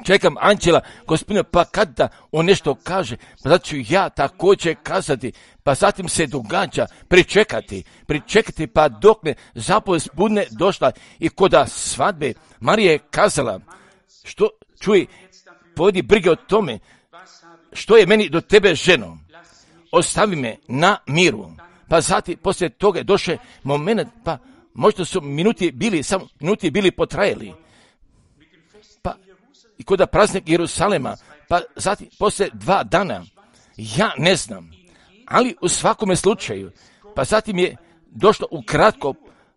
Čekam anđela Gospodina, pa kada on nešto kaže, pa zato ću ja također kazati, pa zatim se događa pričekati, pričekati pa dok ne zapovest bude došla i koda svadbe Marija je kazala, što čuj, povedi brige o tome, što je meni do tebe, ženo, ostavi me na miru. Pa zatim poslije toga je došao moment, pa možda su minuti bili, samo minuti bili potrajali. Pa i kod praznik Jerusalema, pa zatim poslije dva dana, ja ne znam, ali u svakome slučaju, pa zatim je došlo ukratko,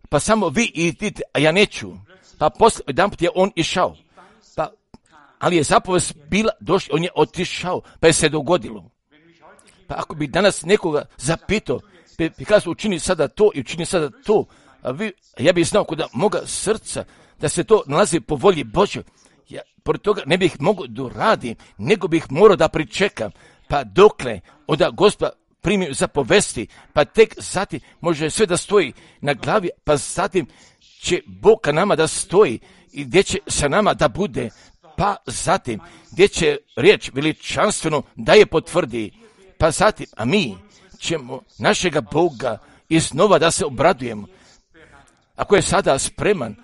pa samo vi idite, a ja neću, pa poslije jedan put je on išao, pa, ali je zapovest bila, došlo, on je otišao, pa je se dogodilo. Pa ako bi danas nekoga zapitao, Pikazu učini sada to i učini sada to, a vi, ja bih znao kod moga srca da se to nalazi po volji Božoj. Ja pored toga ne bih mogao da radim, nego bih morao da pričekam, pa dokle onda Gospod primi zapovesti, pa tek zatim može sve da stoji na glavi, pa zatim će Bog ka nama da stoji i gdje će sa nama da bude, pa zatim gdje će riječ veličanstveno da je potvrdi, pa zatim, a mi ćemo našega Boga iznova da se obradujemo. Ako je sada spreman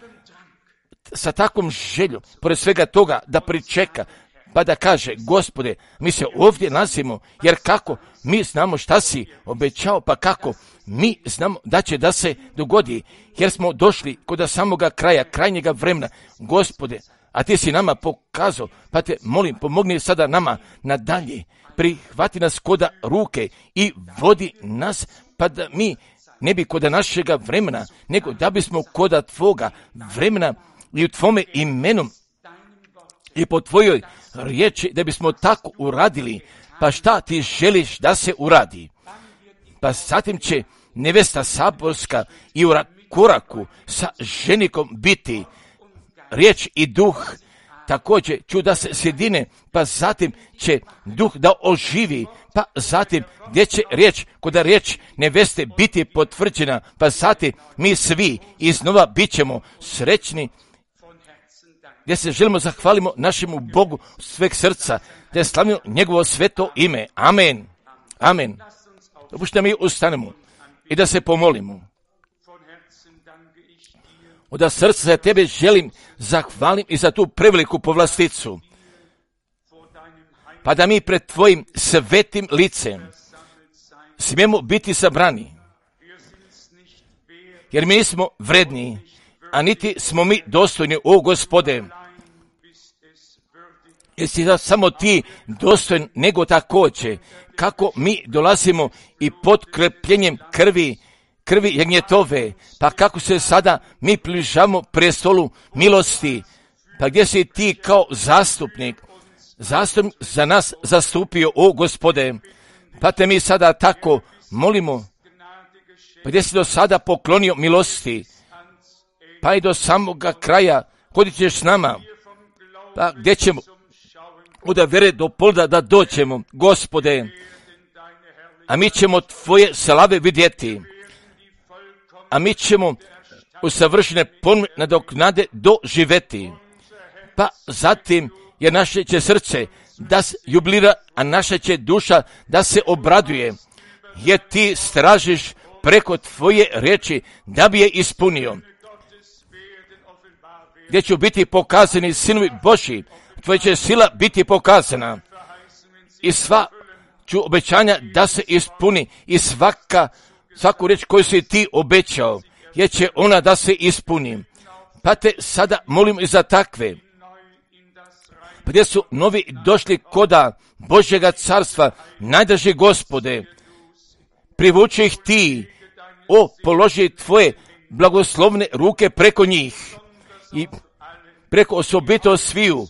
sa takvom željom, pored svega toga da pričeka, pa da kaže, Gospode, mi se ovdje nalazimo, jer kako mi znamo šta si obećao, pa kako mi znamo da će da se dogodi, jer smo došli kod samoga kraja, krajnjega vremena, Gospode, a ti si nama pokazao, pa te molim, pomogni sada nama nadalje, prihvati nas koda ruke i vodi nas, pa da mi ne bi koda našega vremena, nego da bismo koda tvoga vremena i u tvome imenom i po tvojoj riječi da bismo tako uradili, pa šta ti želiš da se uradi. Pa zatim će nevesta saborska i u koraku sa ženikom biti riječ i duh, također ću da se sjedine, pa zatim će duh da oživi, pa zatim gdje će riječ, kod riječ neveste biti potvrđena, pa zatim mi svi iznova bit ćemo srećni, gdje se želimo zahvalimo našemu Bogu sveg srca, da slavimo njegovo sveto ime. Amen. Amen. Dopušte mi ustanemo i da se pomolimo. Od srca za tebe želim zahvalim i za tu preveliku povlasticu, pa da mi pred tvojim svetim licem smijemo biti sabrani, jer mi nismo vredni, a niti smo mi dostojni, o Gospode. Jesi da samo ti dostojen, nego također kako mi dolazimo i pod krepljenjem krvi, krvi jagnjetove, pa kako se sada mi približavamo prestolu milosti, pa gdje si ti kao zastupnik, zastupnik za nas zastupio, o Gospode, pa te mi sada tako molimo, pa gdje si do sada poklonio milosti, pa i do samoga kraja, kodit ćeš s nama, pa gdje ćemo od vere do polda da doćemo, Gospode, a mi ćemo tvoje slave vidjeti, a mi ćemo usavršene ponume nadoknade doživeti, pa zatim je naše će srce da se jubilira, a naša će duša da se obraduje, jer ti stražiš preko tvoje riječi da bi je ispunio, gdje će biti pokazani sinovi Božji, tvoja će sila biti pokazana i sva ću obećanja da se ispuni i svaka, svaku riječ koju si ti obećao, jer će ona da se ispuni. Pa te sada molim i za takve, pa gdje su novi došli koda Božjega carstva, najdraži Gospode, privuči ih ti, o, položi tvoje blagoslovne ruke preko njih i preko osobito sviju,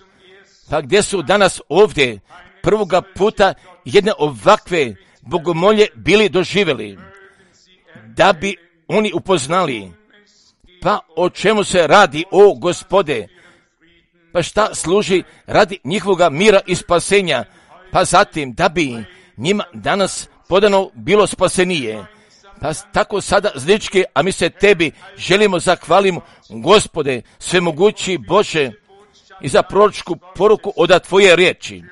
pa gdje su danas ovdje prvoga puta jedne ovakve bogomolje bili doživjeli, da bi oni upoznali, pa o čemu se radi, o Gospode, pa šta služi radi njihovoga mira i spasenja, pa zatim da bi njima danas podano bilo spasenije. Pa tako sada zlički, a mi se tebi želimo zahvalimo, Gospode, svemogući Bože, i za proročku poruku od tvoje riječi,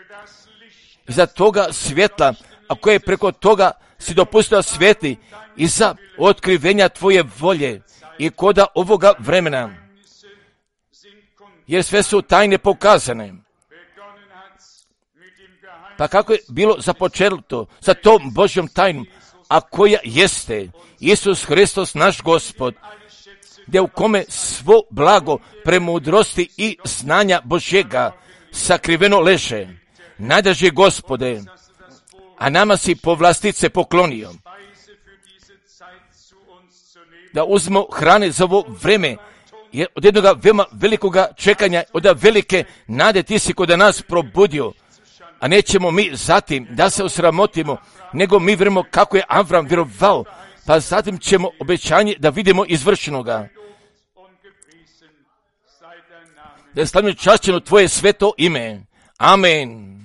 i za toga svjetla, a koje preko toga si dopustio svijetli, i za otkrivenja tvoje volje i koda ovoga vremena, jer sve su tajne pokazane. Pa kako je bilo započeto sa tom Božjom tajnom, a koja jeste Isus Hristos naš Gospod, gdje u kome svo blago premudrosti i znanja Božjega sakriveno leže, najdraži Gospode, a nama si povlastice poklonio, da uzmemo hrane za ovo vreme, jer od jednoga veoma velikoga čekanja, od velike nade ti si kod nas probudio, a nećemo mi zatim da se osramotimo, nego mi vjerujemo kako je Avram vjerovao, pa zatim ćemo obećanje da vidimo izvršenoga. Da je slavno čašćeno tvoje sveto ime. Amen.